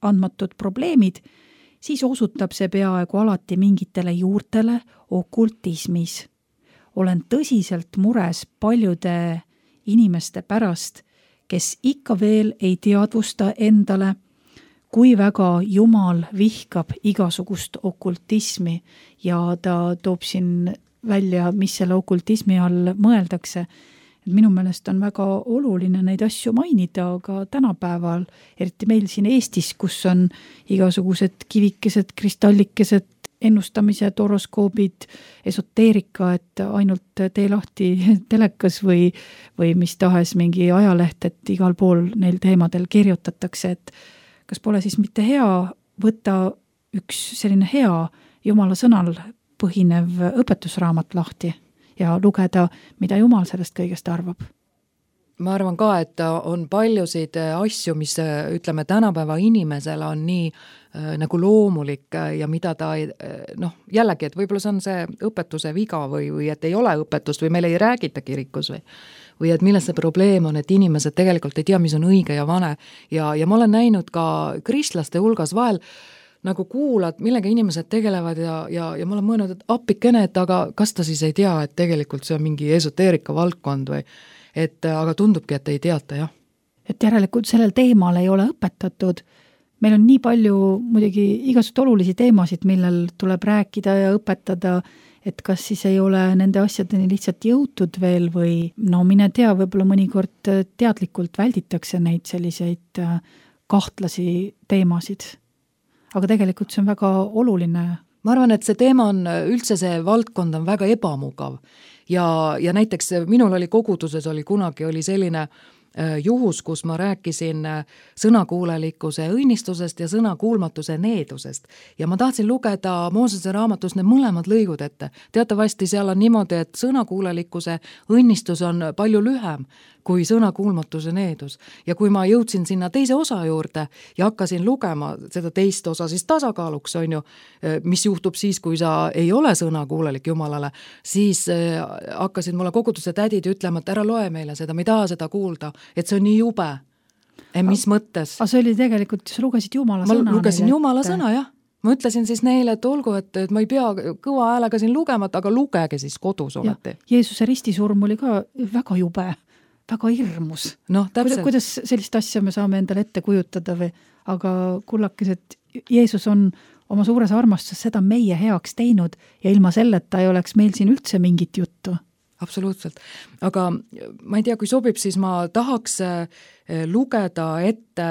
andmatud probleemid, siis osutab see peaaegu alati mingitele juurtele okultismis. Olen tõsiselt mures paljude inimeste pärast, kes ikka veel ei teadvusta endale, kui väga Jumal vihkab igasugust okultismi ja ta toob siin välja, mis selle okultismi all mõeldakse. Minu meelest on väga oluline neid asju mainida, aga tänapäeval, eriti meil siin Eestis, kus on igasugused kivikesed, kristallikesed, ennustamised, horoskoobid, esoteerika, et ainult tee lahti telekas või mis tahes mingi ajaleht, et igal pool neil teemadel kirjutatakse, et kas pole siis mitte hea võtta üks selline hea Jumala sõnal põhinev õpetusraamat lahti ja lugeda, mida Jumal sellest kõigest arvab? Ma arvan ka, et on paljusid asju, mis ütleme tänapäeva inimesele on nii nagu loomulik ja mida ta jällegi, et võib-olla see on see õpetuse viga või et ei ole õpetust või meil ei räägita kirikus või et milles see probleem on, et inimesed tegelikult ei tea, mis on õige ja vane ja ma olen näinud ka kristlaste hulgas vahel nagu kuulad, millega inimesed tegelevad ja ma olen mõelnud, et appikene, et aga kas ta siis ei tea, et tegelikult see on mingi esoteerika valdkond või aga tundubki, et ei teata, jah. Et järelikult sellel teemal ei ole õpetatud. Meil on nii palju muidugi igasugused olulisi teemasid, millel tuleb rääkida ja õpetada, et kas siis ei ole nende asjadeni lihtsalt jõutud veel või mine tea, võib-olla mõnikord teadlikult välditakse neid selliseid kahtlasi teemasid. Aga tegelikult see on väga oluline. ma arvan, et see teema on, üldse see valdkond on väga ebamugav ja näiteks minul oli koguduses kunagi selline juhus, kus ma rääkisin sõnakuulelikkuse õnnistusest ja sõnakuulmatuse needusest. Ja ma tahtsin lugeda Moosese raamatus need mõlemad lõigud ette. Teatavasti seal on niimoodi, et sõnakuulelikkuse õnnistus on palju lühem kui sõnakuulmatuse needus. Ja kui ma jõudsin sinna teise osa juurde ja hakkasin lugema seda teist osa siis tasakaaluks, on ju, mis juhtub siis, kui sa ei ole sõnakuulelik Jumalale, siis hakkasid mulle koguduse tädid ütlema, et ära loe meile seda, me ei taha seda kuulda, et see on nii jube. Mis mõttes? Aga see oli tegelikult, sa lugesid Jumala sõna. Ma lugesin Jumala sõna, jah. Ma ütlesin siis neile, et olgu, et ma ei pea kõva häälega siin lugema, aga lugege siis kodus olete. Jeesuse ristisurm oli ka väga jube, väga hirmus. No, täpselt. Kuidas sellist asja me saame endale ette kujutada või? Aga kullakesed, Jeesus on oma suures armastuses seda meie heaks teinud ja ilma selleta ei oleks meil siin üldse mingit juttu. Absoluutselt. Aga ma ei tea, kui sobib, siis ma tahaks lugeda ette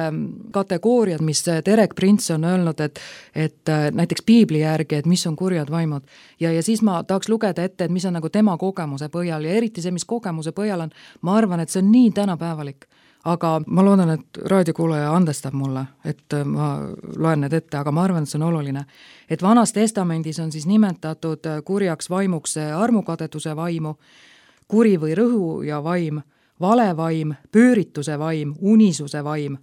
kategooriad, mis Derek Prince on öelnud, et näiteks piibli järgi, et mis on kurjad vaimud. Ja siis ma tahaks lugeda ette, et mis on nagu tema kogemuse põhjal ja eriti see, mis kogemuse põhjal on, ma arvan, et see on nii tänapäevalik. Aga ma loodan, et raadiokuulaja andestab mulle, et ma loen need ette, aga ma arvan, et see on oluline. Et Vanas testamendis on siis nimetatud kurjaks vaimuks armukadeduse vaimu, kuri või rõhu ja vaim, valevaim, pöörituse vaim, unisuse vaim,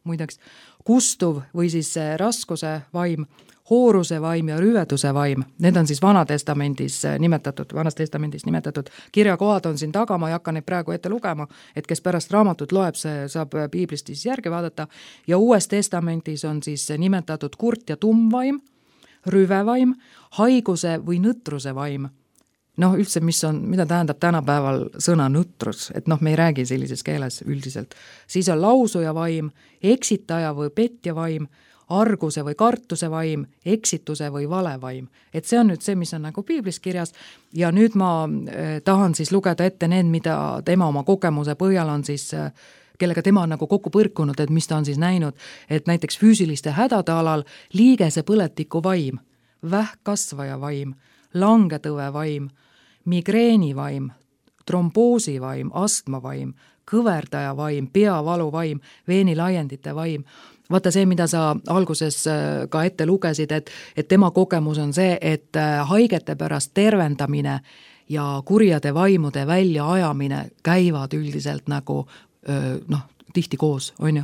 muideks, kustuv või siis raskuse vaim, hooruse vaim ja rüveduse vaim. Need on siis Vanas testamendis nimetatud. Kirjakohad on siin taga, ma ei hakka neid praegu ette lugema, et kes pärast raamatut loeb, see saab piiblist siis järgi vaadata. Ja Uues testamendis on siis nimetatud kurt ja tummvaim, rüvevaim, haiguse või nõtruse vaim. Noh, üldse, mida tähendab tänapäeval sõna nõtrus, et me ei räägi sellises keeles üldiselt. Siis on lausuja vaim, eksitaja või petja vaim, arguse või kartuse vaim, eksituse või valevaim. Et see on nüüd see, mis on nagu piiblis kirjas ja nüüd ma tahan siis lugeda ette need, mida tema oma kogemuse põhjal on siis, kellega tema on nagu kokku põrkunud, et mis ta on siis näinud, et näiteks füüsiliste hädade alal liigese põletiku vaim, vähkkasvaja vaim, langetõve vaim, migreeni vaim, tromboosi vaim, astma vaim, kõverdaja vaim, peavalu vaim, veenilaiendite vaim. Vaata see, mida sa alguses ka ette lugesid, et tema kogemus on see, et haigete pärast tervendamine ja kurjade vaimude välja ajamine käivad üldiselt nagu tihti koos, on ju.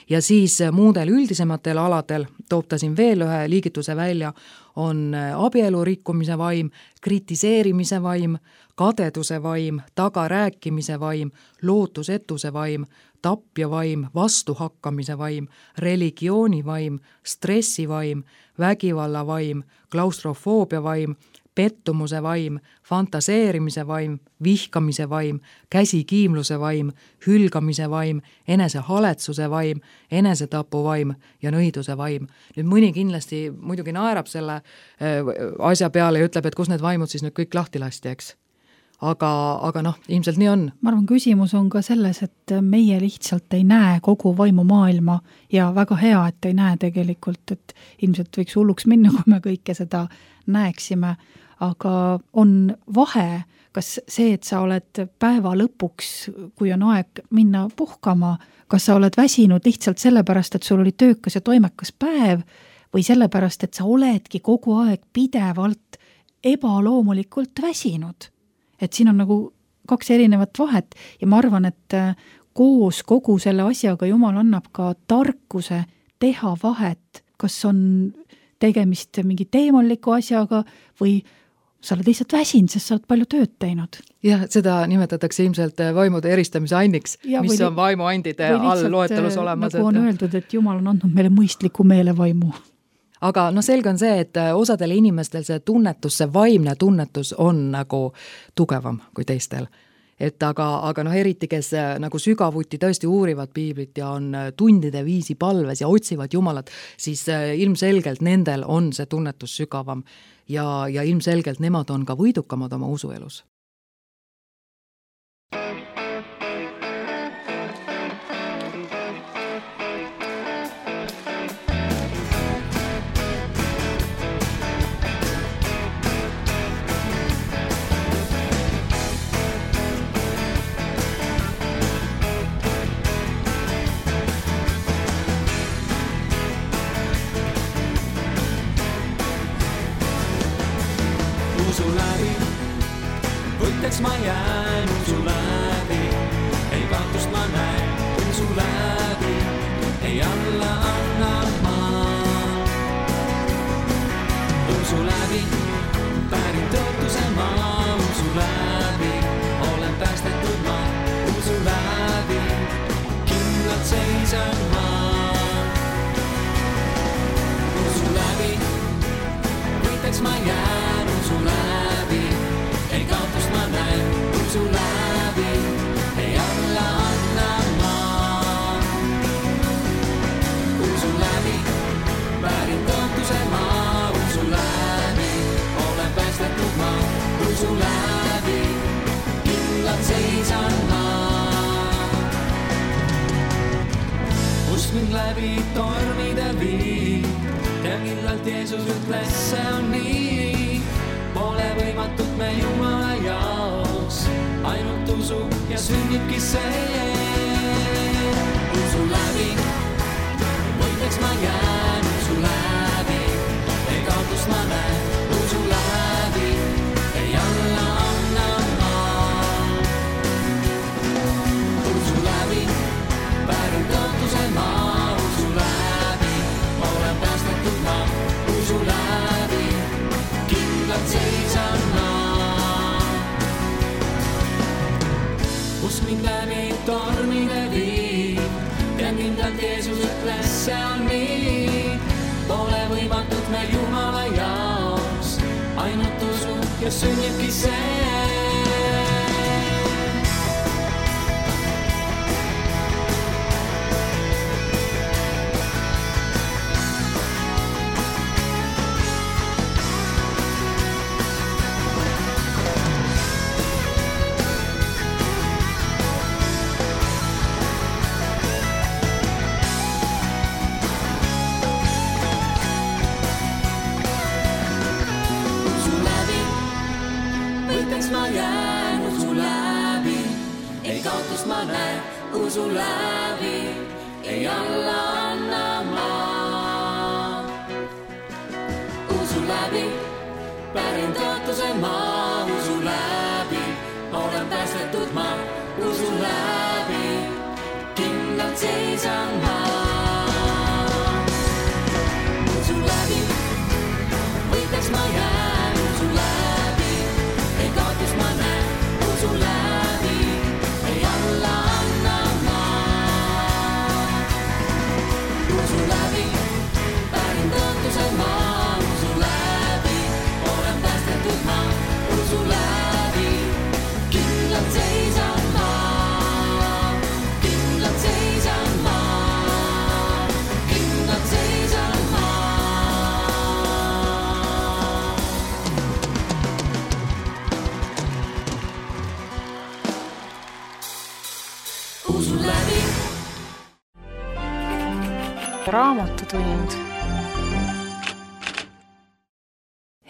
Ja siis muudel üldisematel aladel, toob ta siin veel ühe liigituse välja, on abielu rikkumise vaim, kritiseerimise vaim, kadeduse vaim, tagarääkimise vaim, lootusetuse vaim, tapja vaim, vastuhakkamise vaim, religiooni vaim, stressi vaim, vägivalla vaim, klaustrofoobia vaim, pettumuse vaim, fantaseerimise vaim, vihkamise vaim, käsikiimluse vaim, hülgamise vaim, enesehaletsuse vaim, enesetapu vaim ja nõiduse vaim. Nüüd mõni kindlasti muidugi naerab selle asja peale ja ütleb, et kus need vaimud siis nüüd kõik lahti lasti, eks? Aga ilmselt nii on. Ma arvan, küsimus on ka selles, et meie lihtsalt ei näe kogu vaimumaailma ja väga hea, et ei näe tegelikult, et ilmselt võiks hulluks minna, kui me kõike seda näeksime, aga on vahe, kas see, et sa oled päeva lõpuks, kui on aeg minna puhkama, kas sa oled väsinud lihtsalt sellepärast, et sul oli töökas ja toimekas päev või sellepärast, et sa oledki kogu aeg pidevalt ebaloomulikult väsinud. Et siin on nagu kaks erinevat vahet ja ma arvan, et koos kogu selle asjaga Jumal annab ka tarkuse teha vahet, kas on tegemist mingi teemonliku asjaga või sa oled lihtsalt väsinud, sest sa oled palju tööd teinud. Jah, seda nimetatakse ilmselt vaimude eristamise anniks, mis on vaimuandide all loetelus olemas. Nagu on öeldud, et Jumal on andnud meile mõistliku meelevaimu. Aga selge on see, et osadel inimestel see tunnetus, see vaimne tunnetus on nagu tugevam kui teistel. Et aga eriti, kes nagu sügavuti tõesti uurivad piiblit ja on tundide viisi palves ja otsivad Jumalat, siis ilmselgelt nendel on see tunnetus sügavam ja ilmselgelt nemad on ka võidukamad oma usuelus. võiteks ma jään usu läbi, ei kaotust ma näen usu läbi, ei alla anna ma. Usu läbi, pärin tõotuse ma, usu läbi, olen päästetud ma, usu läbi, kindlalt seisan ma. Usu läbi, võiteks ma jään usu läbi, ei kaotust ma näen usu läbi, ei alla anna ma. Usu läbi, pärin tõotuse ma, usu läbi, olen päästetud ma, usu läbi, kindlalt seisan ma. Usk mind läbi tormide viib, ja kindlalt Jeesus ütles, see on nii. Pole võimatut me Jumala jaoks, ainult usu ja sünnibki see. Usu läbi, võiteks ma jään usu läbi, ei kaotust ma näen usu läbi, ei alla anna ma. Usu läbi, pärin tõotuse ma, usu läbi, olen päästetud ma, usu läbi, kindlalt seisan ma. Usk mind läbi tormide viib, ja kindlalt Jeesus ütles, see on nii. Pole võimatut me Jumala jaoks, ainult usu ja sünnibki see. Ma jään usu läbi, ei kaotust ma näen usu läbi, ei alla anna ma. Usu läbi, pärin tõotuse ma, usu läbi, olen päästetud ma, usu läbi, kindlalt seisan ma. Usu läbi, võiteks ma jään usu läbi, ei kaotust ma näen usu läbi, ei alla anna ma. Usu läbi, pärin tõotuse ma, usu läbi, olen päästetud ma, usu läbi, kindlalt seisan ma, kindlalt seisan ma, kindlalt seisan ma. Usu läbi. Raamatutund.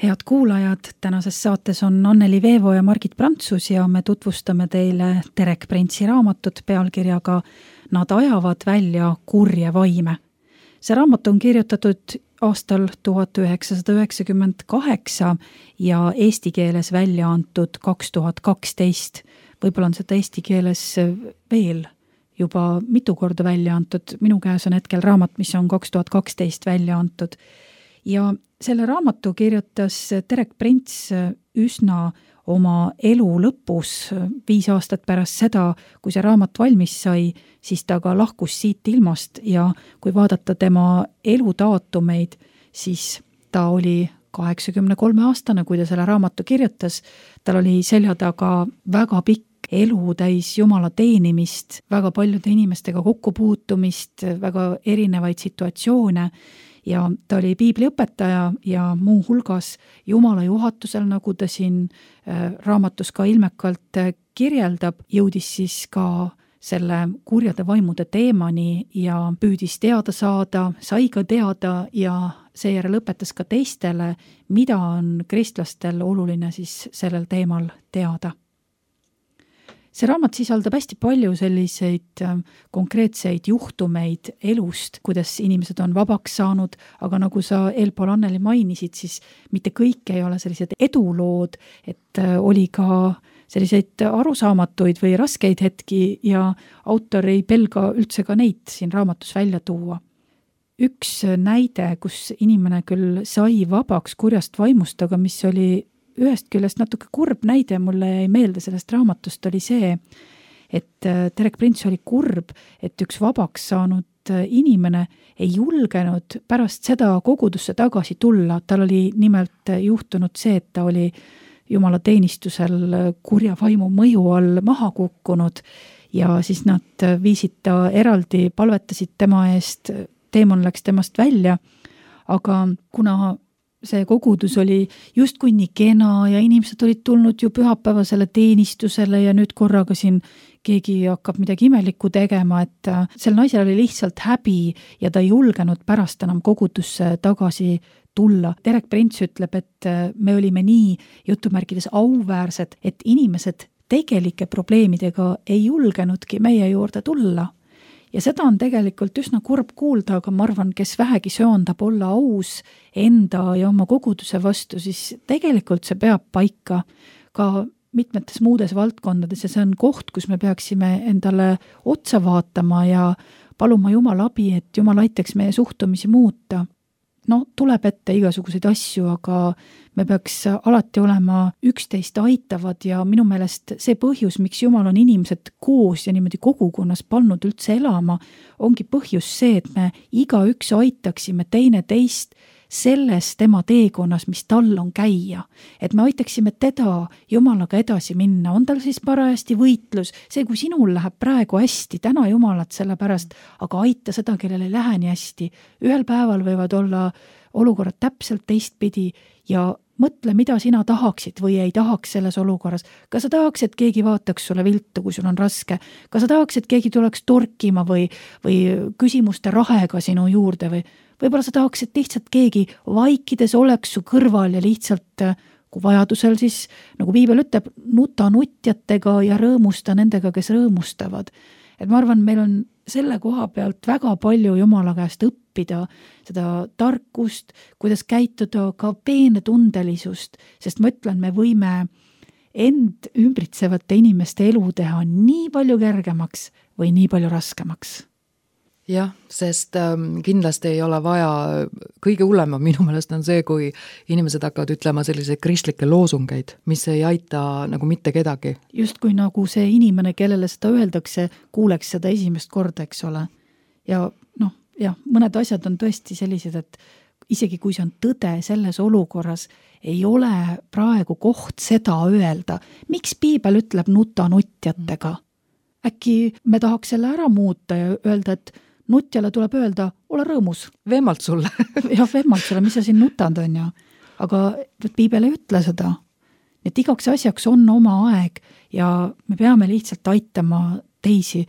Head kuulajad, tänases saates on Anneli Veevo ja Margit Prantsus ja me tutvustame teile Terek Prentsi raamatut pealkirjaga Nad ajavad välja kurje vaime. See raamat on kirjutatud aastal 1998 ja eesti keeles välja antud 2012. Võib-olla on seda eesti keeles veel juba mitu korda välja antud. Minu käes on hetkel raamat, mis on 2012 välja antud. Ja selle raamatu kirjutas Terek Prents üsna oma elu lõpus, 5 aastat pärast seda, kui see raamat valmis sai, siis ta ka lahkus siit ilmast ja kui vaadata tema eludaatumeid, siis ta oli 83-aastane, kui ta selle raamatu kirjutas. Tal oli selja taga väga pikk elu täis Jumala teenimist, väga paljude inimestega kokkupuutumist, väga erinevaid situatsioone ja ta oli piibliõpetaja ja muu hulgas Jumala juhatusel, nagu ta siin raamatus ka ilmekalt kirjeldab, jõudis siis ka selle kurjade vaimude teemani ja püüdis teada saada, sai ka teada ja seejärel õpetas ka teistele, mida on kristlastel oluline siis sellel teemal teada. See raamat sisaldab hästi palju selliseid konkreetseid juhtumeid elust, kuidas inimesed on vabaks saanud, aga nagu sa eelpool Anneli mainisid, siis mitte kõik ei ole sellised edulood, et oli ka selliseid arusaamatuid või raskeid hetki ja autor ei pelga üldse ka neid siin raamatus välja tuua. Üks näide, kus inimene küll sai vabaks kurjast vaimust, aga mis oli ühest küljest natuke kurb näide, mulle jäi meelde sellest raamatust, oli see, et Derek Prince oli kurb, et üks vabaks saanud inimene ei julgenud pärast seda kogudusse tagasi tulla. Tal oli nimelt juhtunud see, et ta oli Jumala teenistusel kurja vaimu mõju all maha kukkunud ja siis nad viisid ta eraldi, palvetasid tema eest, teemon läks temast välja, aga kuna see kogudus oli justkui nii kena ja inimesed olid tulnud ju pühapäevasele teenistusele ja nüüd korraga siin keegi hakkab midagi imelikku tegema, et sel naisel oli lihtsalt häbi ja ta ei julgenud pärast enam kogudusse tagasi tulla. Derek Prince ütleb, et me olime nii jutumärkides auväärsed, et inimesed tegelike probleemidega ei julgenudki meie juurde tulla. Ja seda on tegelikult üsna kurb kuulda, aga ma arvan, kes vähegi söandab olla aus enda ja oma koguduse vastu, siis tegelikult see peab paika ka mitmetes muudes valdkondades ja see on koht, kus me peaksime endale otsa vaatama ja paluma Jumala abi, et Jumal aitaks meie suhtumisi muuta. No, tuleb ette igasuguseid asju, aga me peaks alati olema üksteist aitavad ja minu meelest see põhjus, miks Jumal on inimesed koos ja niimoodi kogukonnas pannud üldse elama, ongi põhjus see, et me igaüks aitaksime teine teist selles tema teekonnas, mis tal on käia. Et me aitaksime teda Jumalaga edasi minna. On tal siis parajasti võitlus. See, kui sinul läheb praegu hästi, täna Jumalat selle pärast, aga aita seda, kellel ei lähe nii hästi. Ühel päeval võivad olla olukorrad täpselt teistpidi ja mõtle, mida sina tahaksid või ei tahaks selles olukorras. Kas sa tahaks, et keegi vaataks sulle viltu, kui sul on raske? Kas sa tahaks, et keegi tuleks torkima või küsimuste rahega sinu juurde või võib-olla sa tahaks, et lihtsalt keegi vaikides oleks su kõrval ja lihtsalt, kui vajadusel siis, nagu Piibel ütleb, nuta nutjatega ja rõõmusta nendega, kes rõõmustavad. Et ma arvan, meil on selle koha pealt väga palju Jumala käest õppida, seda tarkust, kuidas käituda, ka peenetundelisust, sest ma ütlen, me võime end ümbritsevate inimeste elu teha nii palju kergemaks või nii palju raskemaks. Jah, sest kindlasti ei ole vaja, kõige hullema minu meelest on see, kui inimesed hakkavad ütlema selliseid kristlikke loosungeid, mis ei aita nagu mitte kedagi. Just kui nagu see inimene, kellele seda öeldakse, kuuleks seda esimest korda, eks ole. Ja mõned asjad on tõesti sellised, et isegi kui see on tõde selles olukorras, ei ole praegu koht seda öelda. Miks Piibel ütleb nuta nutjatega? Äkki me tahaks selle ära muuta ja öelda, et nutjale tuleb öelda, ole rõõmus. Vemmalt sulle. Jah, vemmalt sulle, mis sa siin nutand on ju. Aga Piibel ei ütle seda. Et igaks asjaks on oma aeg ja me peame lihtsalt aitama teisi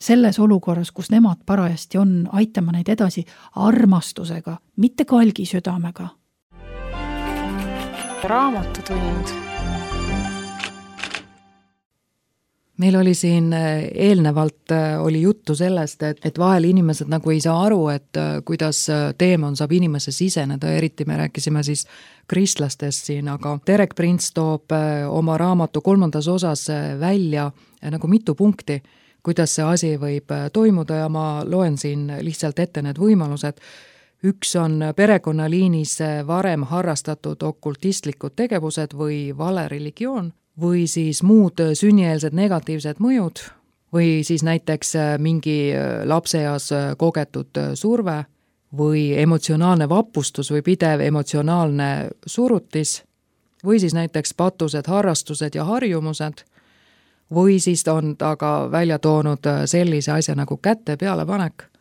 selles olukorras, kus nemad parajasti on, aitama neid edasi armastusega, mitte kalgi südamega. Raamatutund. Meil oli siin eelnevalt oli juttu sellest, et vahel inimesed nagu ei saa aru, et kuidas teemon saab inimese siseneda, eriti me rääkisime siis kristlastest siin, aga Derek Prince toob oma raamatu 3. osas välja nagu mitu punkti, kuidas see asi võib toimuda ja ma loen siin lihtsalt ette need võimalused. Üks on perekonnaliinis varem harrastatud okultistlikud tegevused või vale religioon, või siis muud sünnieelsed negatiivsed mõjud või siis näiteks mingi lapseeas kogetud surve või emotsionaalne vapustus või pidev emotsionaalne surutis või siis näiteks patused, harrastused ja harjumused või siis on ta ka välja toonud sellise asja nagu käte pealepanek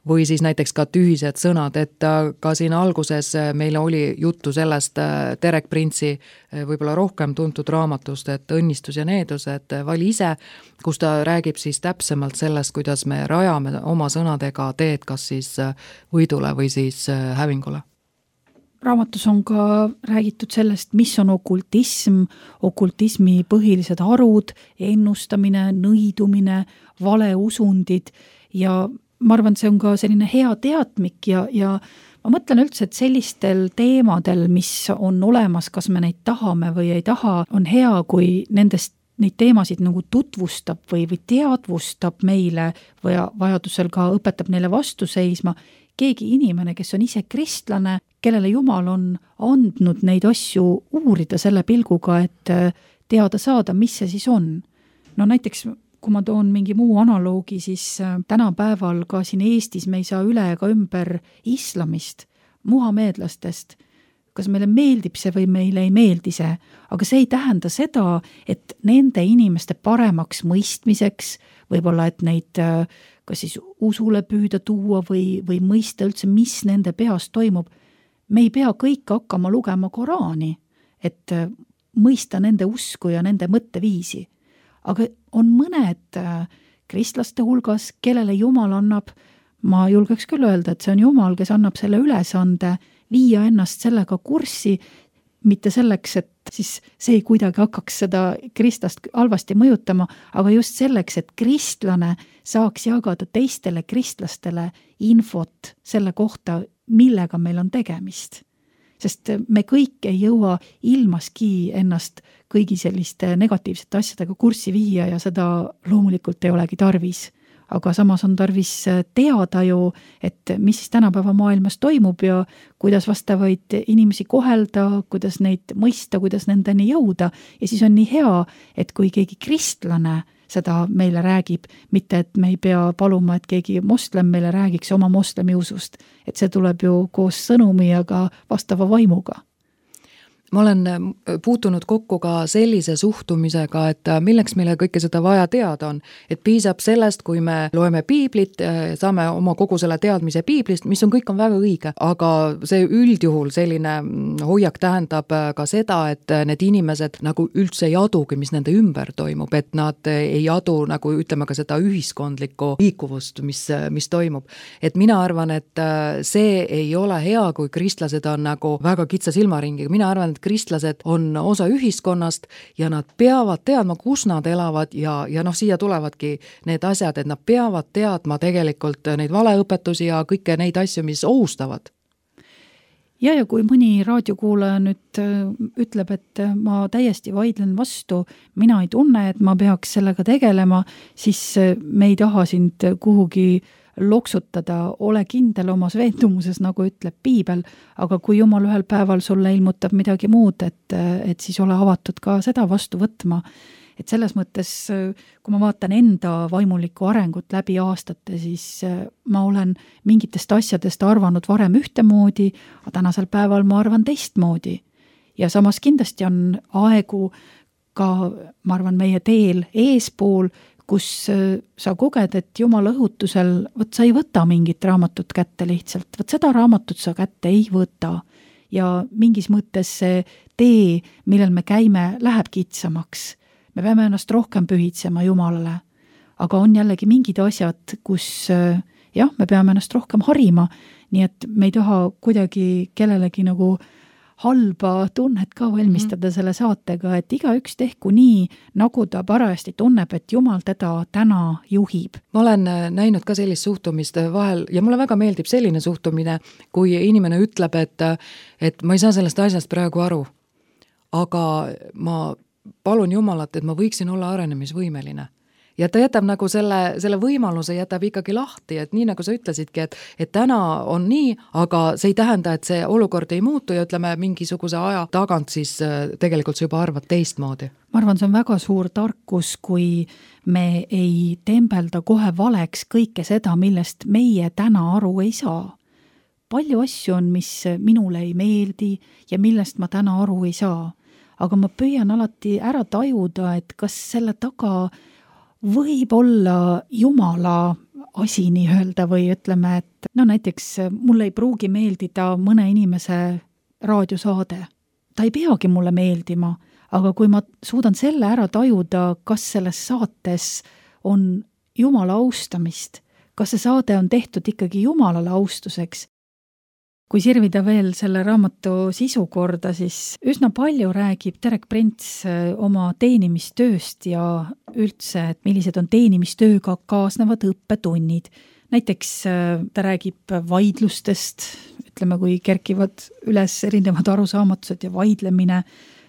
või siis näiteks ka tühised sõnad, et ka siin alguses meil oli juttu sellest Derek Prince'i võib-olla rohkem tuntud raamatust, et õnnistus ja needus, et vali ise, kus ta räägib siis täpsemalt sellest, kuidas me rajame oma sõnadega teed, kas siis võidule või siis hävingule. Raamatus on ka räägitud sellest, mis on okultism, okultismi põhilised harud, ennustamine, nõidumine, valeusundid ja ma arvan, see on ka selline hea teadmik ja ma mõtlen üldse, et sellistel teemadel, mis on olemas, kas me neid tahame või ei taha, on hea, kui nendest neid teemasid nagu tutvustab või teadvustab meile või vajadusel ka õpetab neile vastu seisma keegi inimene, kes on ise kristlane, kellele Jumal on andnud neid asju uurida selle pilguga, et teada saada, mis see siis on. No näiteks, kui ma toon mingi muu analoogi, siis tänapäeval ka siin Eestis me ei saa üle ega ümber islamist, muhameedlastest. Kas meile meeldib see või meile ei meeldi see, aga see ei tähenda seda, et nende inimeste paremaks mõistmiseks, võib-olla et neid kas siis usule püüda tuua või mõista üldse, mis nende peas toimub. Me ei pea kõik hakkama lugema Koraani, et mõista nende usku ja nende mõtteviisi. Aga on mõned kristlaste hulgas, kellele Jumal annab, ma julgeks küll öelda, et see on Jumal, kes annab selle ülesande viia ennast sellega kurssi, mitte selleks, et siis see ei kuidagi hakkaks seda kristlast halvasti mõjutama, aga just selleks, et kristlane saaks jagada teistele kristlastele infot selle kohta, millega meil on tegemist. Sest me kõik ei jõua ilmaski ennast kõigi selliste negatiivsete asjadega kurssi viia ja seda loomulikult ei olegi tarvis. Aga samas on tarvis teada ju, et mis siis tänapäeva maailmas toimub ja kuidas vastavaid inimesi kohelda, kuidas neid mõista, kuidas nendeni jõuda. Ja siis on nii hea, et kui keegi kristlane seda meile räägib, mitte et me ei pea paluma, et keegi moslem meile räägiks oma moslemi usust. Et see tuleb ju koos sõnumi ja ka vastava vaimuga. Ma olen puutunud kokku ka sellise suhtumisega, et milleks meile kõike seda vaja teada on. Et piisab sellest, kui me loeme piiblit, saame oma kogu selle teadmise piiblist, mis on kõik on väga õige. Aga see üldjuhul selline hoiak tähendab ka seda, et need inimesed nagu üldse ei adugi, mis nende ümber toimub. Et nad ei adu nagu ütleme ka seda ühiskondlikku liikuvust, mis toimub. Et mina arvan, et see ei ole hea, kui kristlased on nagu väga kitsa silmaringiga. Mina arvan, kristlased on osa ühiskonnast ja nad peavad teadma, kus nad elavad ja siia tulevadki need asjad, et nad peavad teadma tegelikult neid valeõpetusi ja kõike neid asju, mis ohustavad. Ja kui mõni raadiokuulaja nüüd ütleb, et ma täiesti vaidlen vastu, mina ei tunne, et ma peaks sellega tegelema, siis me ei taha sind kuhugi loksutada, ole kindel omas veendumuses, nagu ütleb piibel, aga kui Jumal ühel päeval sulle ilmutab midagi muud, et siis ole avatud ka seda vastu võtma. Et selles mõttes, kui ma vaatan enda vaimulikku arengut läbi aastate, siis ma olen mingitest asjadest arvanud varem ühtemoodi, aga tänasel päeval ma arvan teistmoodi. Ja samas kindlasti on aegu ka, ma arvan, meie teel eespool, kus sa koged, et Jumala õhutusel, sa ei võta mingit raamatut kätte lihtsalt, seda raamatut sa kätte ei võta. Ja mingis mõttes see tee, millel me käime, läheb kitsamaks. Me peame ennast rohkem pühitsema Jumalale. Aga on jällegi mingid asjad, kus me peame ennast rohkem harima, nii et me ei taha kuidagi kellelegi nagu halba tunnet ka valmistada selle saatega, et igaüks tehku nii, nagu ta parajasti tunneb, et Jumal teda täna juhib. Ma olen näinud ka sellist suhtumist vahel ja mulle väga meeldib selline suhtumine, kui inimene ütleb, et ma ei saa sellest asjast praegu aru, aga ma palun Jumalat, et ma võiksin olla arenemisvõimeline. Ja ta jätab nagu selle võimaluse jätab ikkagi lahti, et nii nagu sa ütlesidki, et täna on nii, aga see ei tähenda, et see olukord ei muutu ja ütleme mingisuguse aja tagant siis tegelikult sa juba arvad teistmoodi. Ma arvan, see on väga suur tarkus, kui me ei tembelda kohe valeks kõike seda, millest meie täna aru ei saa. Palju asju on, mis minule ei meeldi ja millest ma täna aru ei saa. Aga ma püüan alati ära tajuda, et kas selle taga võib olla Jumala asi nii öelda või ütleme, et näiteks mulle ei pruugi meeldida mõne inimese raadiosaade. Ta ei peagi mulle meeldima, aga kui ma suudan selle ära tajuda, kas selles saates on Jumala austamist, kas see saade on tehtud ikkagi Jumalale austuseks. Kui sirvida veel selle raamatu sisu korda, siis üsna palju räägib Derek Prince oma teenimistööst ja üldse, et millised on teenimistööga kaasnevad õppetunnid. näiteks ta räägib vaidlustest, ütleme, kui kerkivad üles erinevad arusaamatused ja vaidlemine,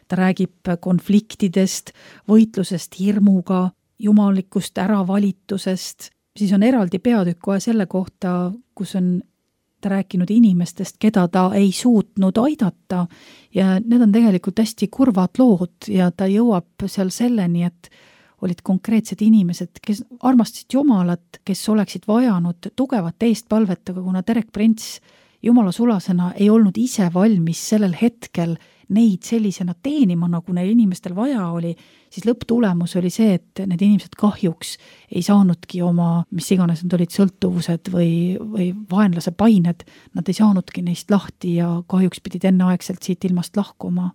ta räägib konfliktidest, võitlusest hirmuga, jumalikust äravalitusest, siis on eraldi peatükk kohe selle kohta, kus on ta rääkinud inimestest, keda ta ei suutnud aidata ja need on tegelikult hästi kurvad lood ja ta jõuab seal selleni, et olid konkreetsed inimesed, kes armastasid Jumalat, kes oleksid vajanud tugevat eestpalvet, aga kuna Derek Prince Jumala sulasena ei olnud ise valmis sellel hetkel neid sellisena teenima, nagu neil inimestel vaja oli, siis lõpptulemus oli see, et need inimesed kahjuks ei saanudki oma, mis iganes need olid, sõltuvused või vaenlase pained, nad ei saanudki neist lahti ja kahjuks pidid enneaegselt siit ilmast lahkuma.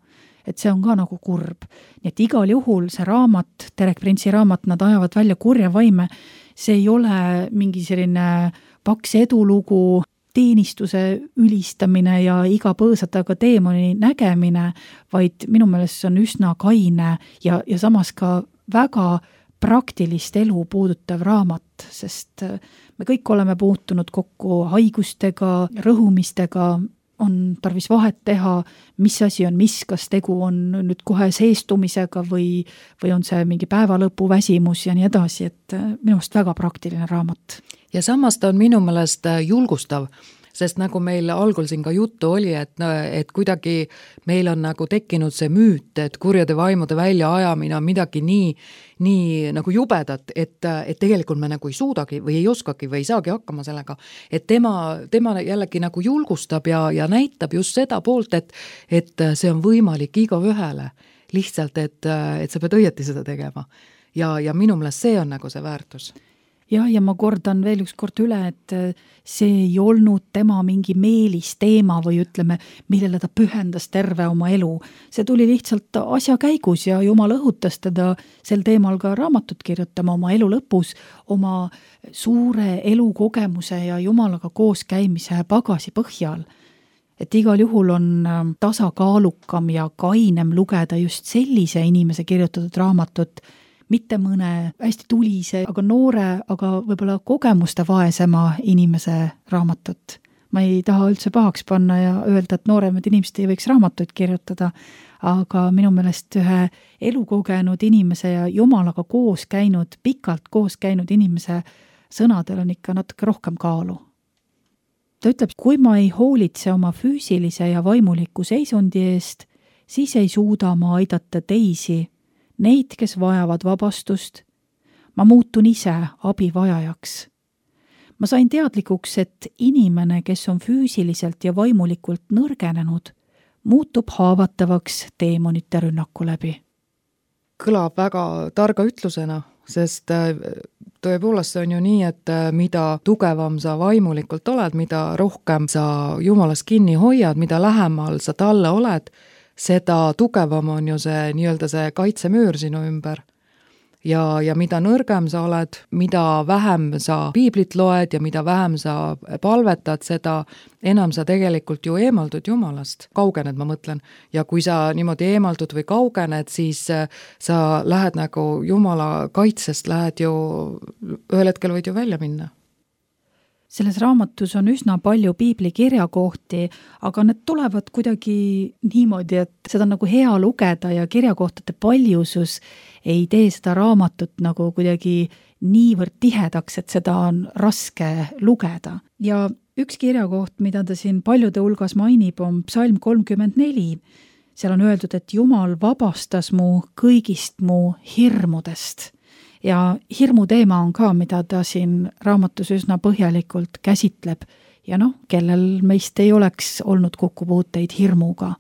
Et see on ka nagu kurb. Nii et igal juhul see raamat, Derek Prince'i raamat, nad ajavad välja kurja vaime, see ei ole mingi selline paks edulugu, teenistuse ülistamine ja iga põõsataga teemoni nägemine, vaid minu meelest see on üsna kaine ja samas ka väga praktilist elu puudutav raamat, sest me kõik oleme puutunud kokku haigustega, rõhumistega, on tarvis vahet teha, mis asi on mis, kas tegu on nüüd kohe seestumisega või on see mingi päevalõpu väsimus ja nii edasi, et minu meelest väga praktiline raamat. Ja samas ta on minu meelest julgustav, sest nagu meil algul siin ka juttu oli, et kuidagi meil on nagu tekkinud see müüt, et kurjade vaimude väljaajamine on midagi nii nagu jubedat, et tegelikult me nagu ei suudagi või ei oskagi või ei saagi hakkama sellega. Et tema jällegi nagu julgustab ja näitab just seda poolt, et see on võimalik igaühele lihtsalt, et sa pead õieti seda tegema. Ja minu meelest see on nagu see väärtus. Ja ma kordan veel üks kord üle, et see ei olnud tema mingi meelisteema või ütleme, millele ta pühendas terve oma elu. See tuli lihtsalt asja käigus ja Jumal õhutas teda sel teemal ka raamatut kirjutama oma elu lõpus, oma suure elukogemuse ja Jumalaga koos käimise pagasi põhjal. Et igal juhul on tasakaalukam ja kainem lugeda just sellise inimese kirjutatud raamatut, mitte mõne hästi tulise, aga noore, aga võib-olla kogemuste vaesema inimese raamatut. Ma ei taha üldse pahaks panna ja öelda, et nooremad inimesed ei võiks raamatuid kirjutada, aga minu meelest ühe elukogenud inimese ja Jumalaga koos käinud, pikalt koos käinud inimese sõnadel on ikka natuke rohkem kaalu. Ta ütleb, kui ma ei hoolitse oma füüsilise ja vaimuliku seisundi eest, siis ei suuda ma aidata teisi, neid, kes vajavad vabastust, ma muutun ise abivajajaks. Ma sain teadlikuks, et inimene, kes on füüsiliselt ja vaimulikult nõrgenenud, muutub haavatavaks teemonite rünnaku läbi. Kõlab väga targa ütlusena, sest tõepoolest see on ju nii, et mida tugevam sa vaimulikult oled, mida rohkem sa Jumalas kinni hoiad, mida lähemal sa talle oled, seda tugevam on ju see nii-öelda see kaitsemüür sinu ümber. Ja mida nõrgem sa oled, mida vähem sa piiblit loed ja mida vähem sa palvetad, seda enam sa tegelikult ju eemaldud Jumalast. Kaugened, ma mõtlen. Ja kui sa niimoodi eemaldud või kaugened, siis sa lähed nagu Jumala kaitsest, lähed ju, ühel hetkel võid ju välja minna. Selles raamatus on üsna palju piibli kirjakohti, aga need tulevad kuidagi niimoodi, et seda on nagu hea lugeda ja kirjakohtade paljusus ei tee seda raamatut nagu kuidagi niivõrd tihedaks, et seda on raske lugeda. Ja üks kirjakoht, mida ta siin paljude hulgas mainib, on Psalm 34. Seal on öeldud, et Jumal vabastas mu kõigist mu hirmudest. Ja hirmu teema on ka, mida ta siin raamatus üsna põhjalikult käsitleb. Ja kellel meist ei oleks olnud kokkupuuteid hirmuga.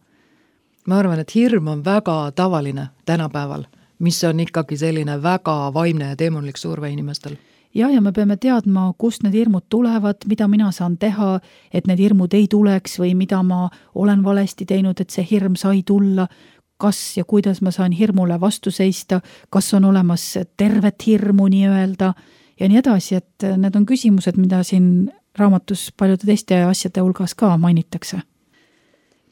Ma arvan, et hirm on väga tavaline tänapäeval, mis on ikkagi selline väga vaimne ja teemonlik surve inimestel. Ja me peame teadma, kust need hirmud tulevad, mida mina saan teha, et need hirmud ei tuleks või mida ma olen valesti teinud, et see hirm sai tulla, kas ja kuidas ma saan hirmule vastu seista, kas on olemas tervet hirmu nii-öelda ja nii edasi, et need on küsimused, mida siin raamatus paljude teiste asjade hulgas ka mainitakse.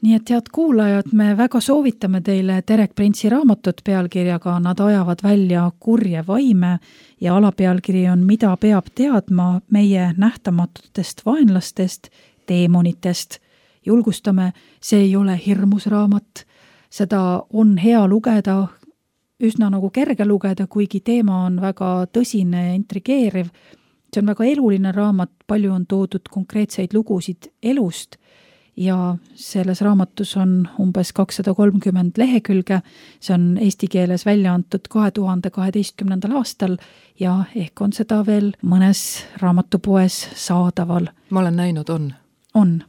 Nii et head kuulajad, me väga soovitame teile Terek Printsi raamatut pealkirjaga Nad ajavad välja kurje vaime ja alapealkiri on Mida peab teadma meie nähtamatutest vaenlastest, teemonitest. Julgustame, see ei ole hirmus raamat, seda on hea lugeda, üsna nagu kerge lugeda, kuigi teema on väga tõsine ja intrigeeriv. See on väga eluline raamat, palju on toodud konkreetseid lugusid elust ja selles raamatus on umbes 230 lehekülge, see on eesti keeles välja antud 2012. aastal ja ehk on seda veel mõnes raamatupoes saadaval. Ma olen näinud, on. On.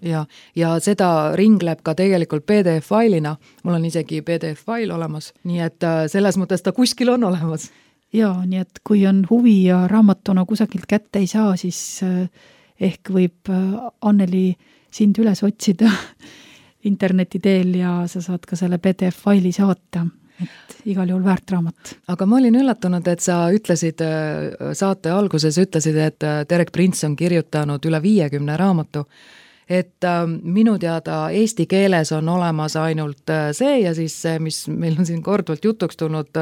Ja seda ringleb ka tegelikult PDF-failina, mul on isegi PDF-fail olemas, nii et selles mõttes ta kuskil on olemas. Jaa, nii et kui on huvi ja raamatuna kusagilt kätte ei saa, siis ehk võib Anneli sind üles otsida interneti teel ja sa saad ka selle PDF-faili saata, et igal juhul väärt raamat. Aga ma olin üllatunud, et sa ütlesid, saate alguses ütlesid, et Terek Prints on kirjutanud üle 50 raamatu, et minu teada eesti keeles on olemas ainult see ja siis see, mis meil on siin korduvalt jutuks tulnud,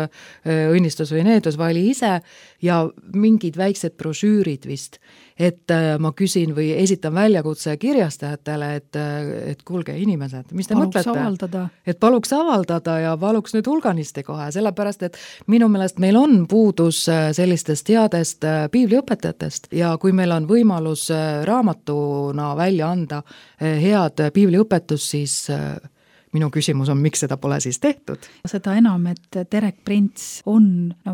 õnnistus või needus vali ise ja mingid väiksed brošüürid vist, et ma küsin või esitan väljakutse kirjastajatele, et kuulge inimesed, mis te mõtlete? Et paluks avaldada ja paluks nüüd hulganisti kohe, sellepärast, et minu meelest meil on puudus sellistest headest piibliõpetajatest ja kui meil on võimalus raamatuna välja anda head piibliõpetus, siis minu küsimus on, miks seda pole siis tehtud? Seda enam, et Terek Prints on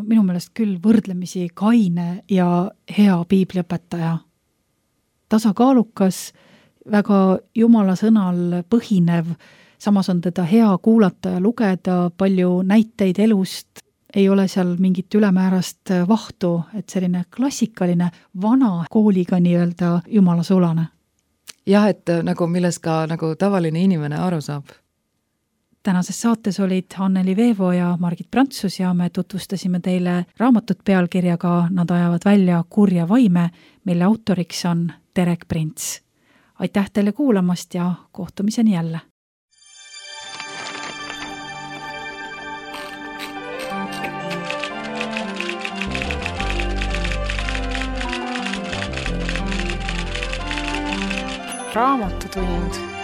minu meelest küll võrdlemisi kaine ja hea piibliõpetaja. Tasakaalukas, väga jumala sõnal põhinev, samas on teda hea kuulata ja lugeda, palju näiteid elust, ei ole seal mingit ülemäärast vahtu, et selline klassikaline vana kooliga nii-öelda jumala sulane. Jah, et nagu milles ka nagu tavaline inimene aru saab. Tänases saates olid Anneli Veevo ja Margit Prantsus ja me tutvustasime teile raamatut pealkirjaga Nad ajavad välja kurje vaime, mille autoriks on Terek Prints. Aitäh teile kuulamast ja kohtumiseni jälle! Raamatutund.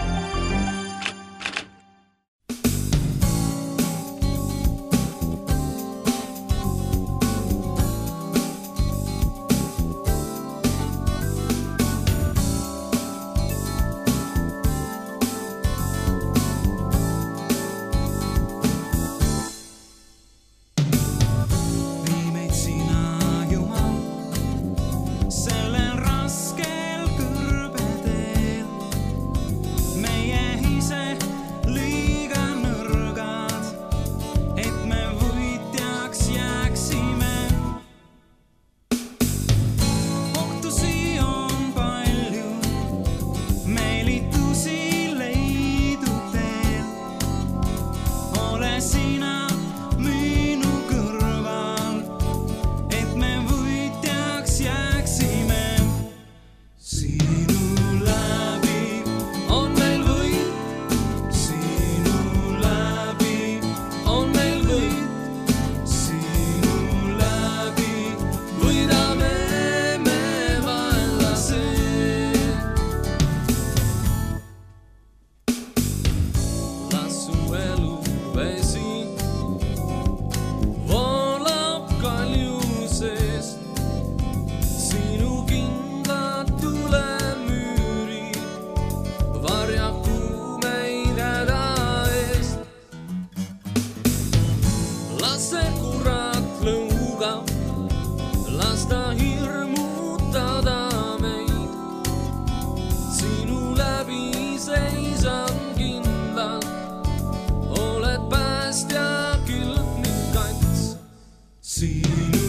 See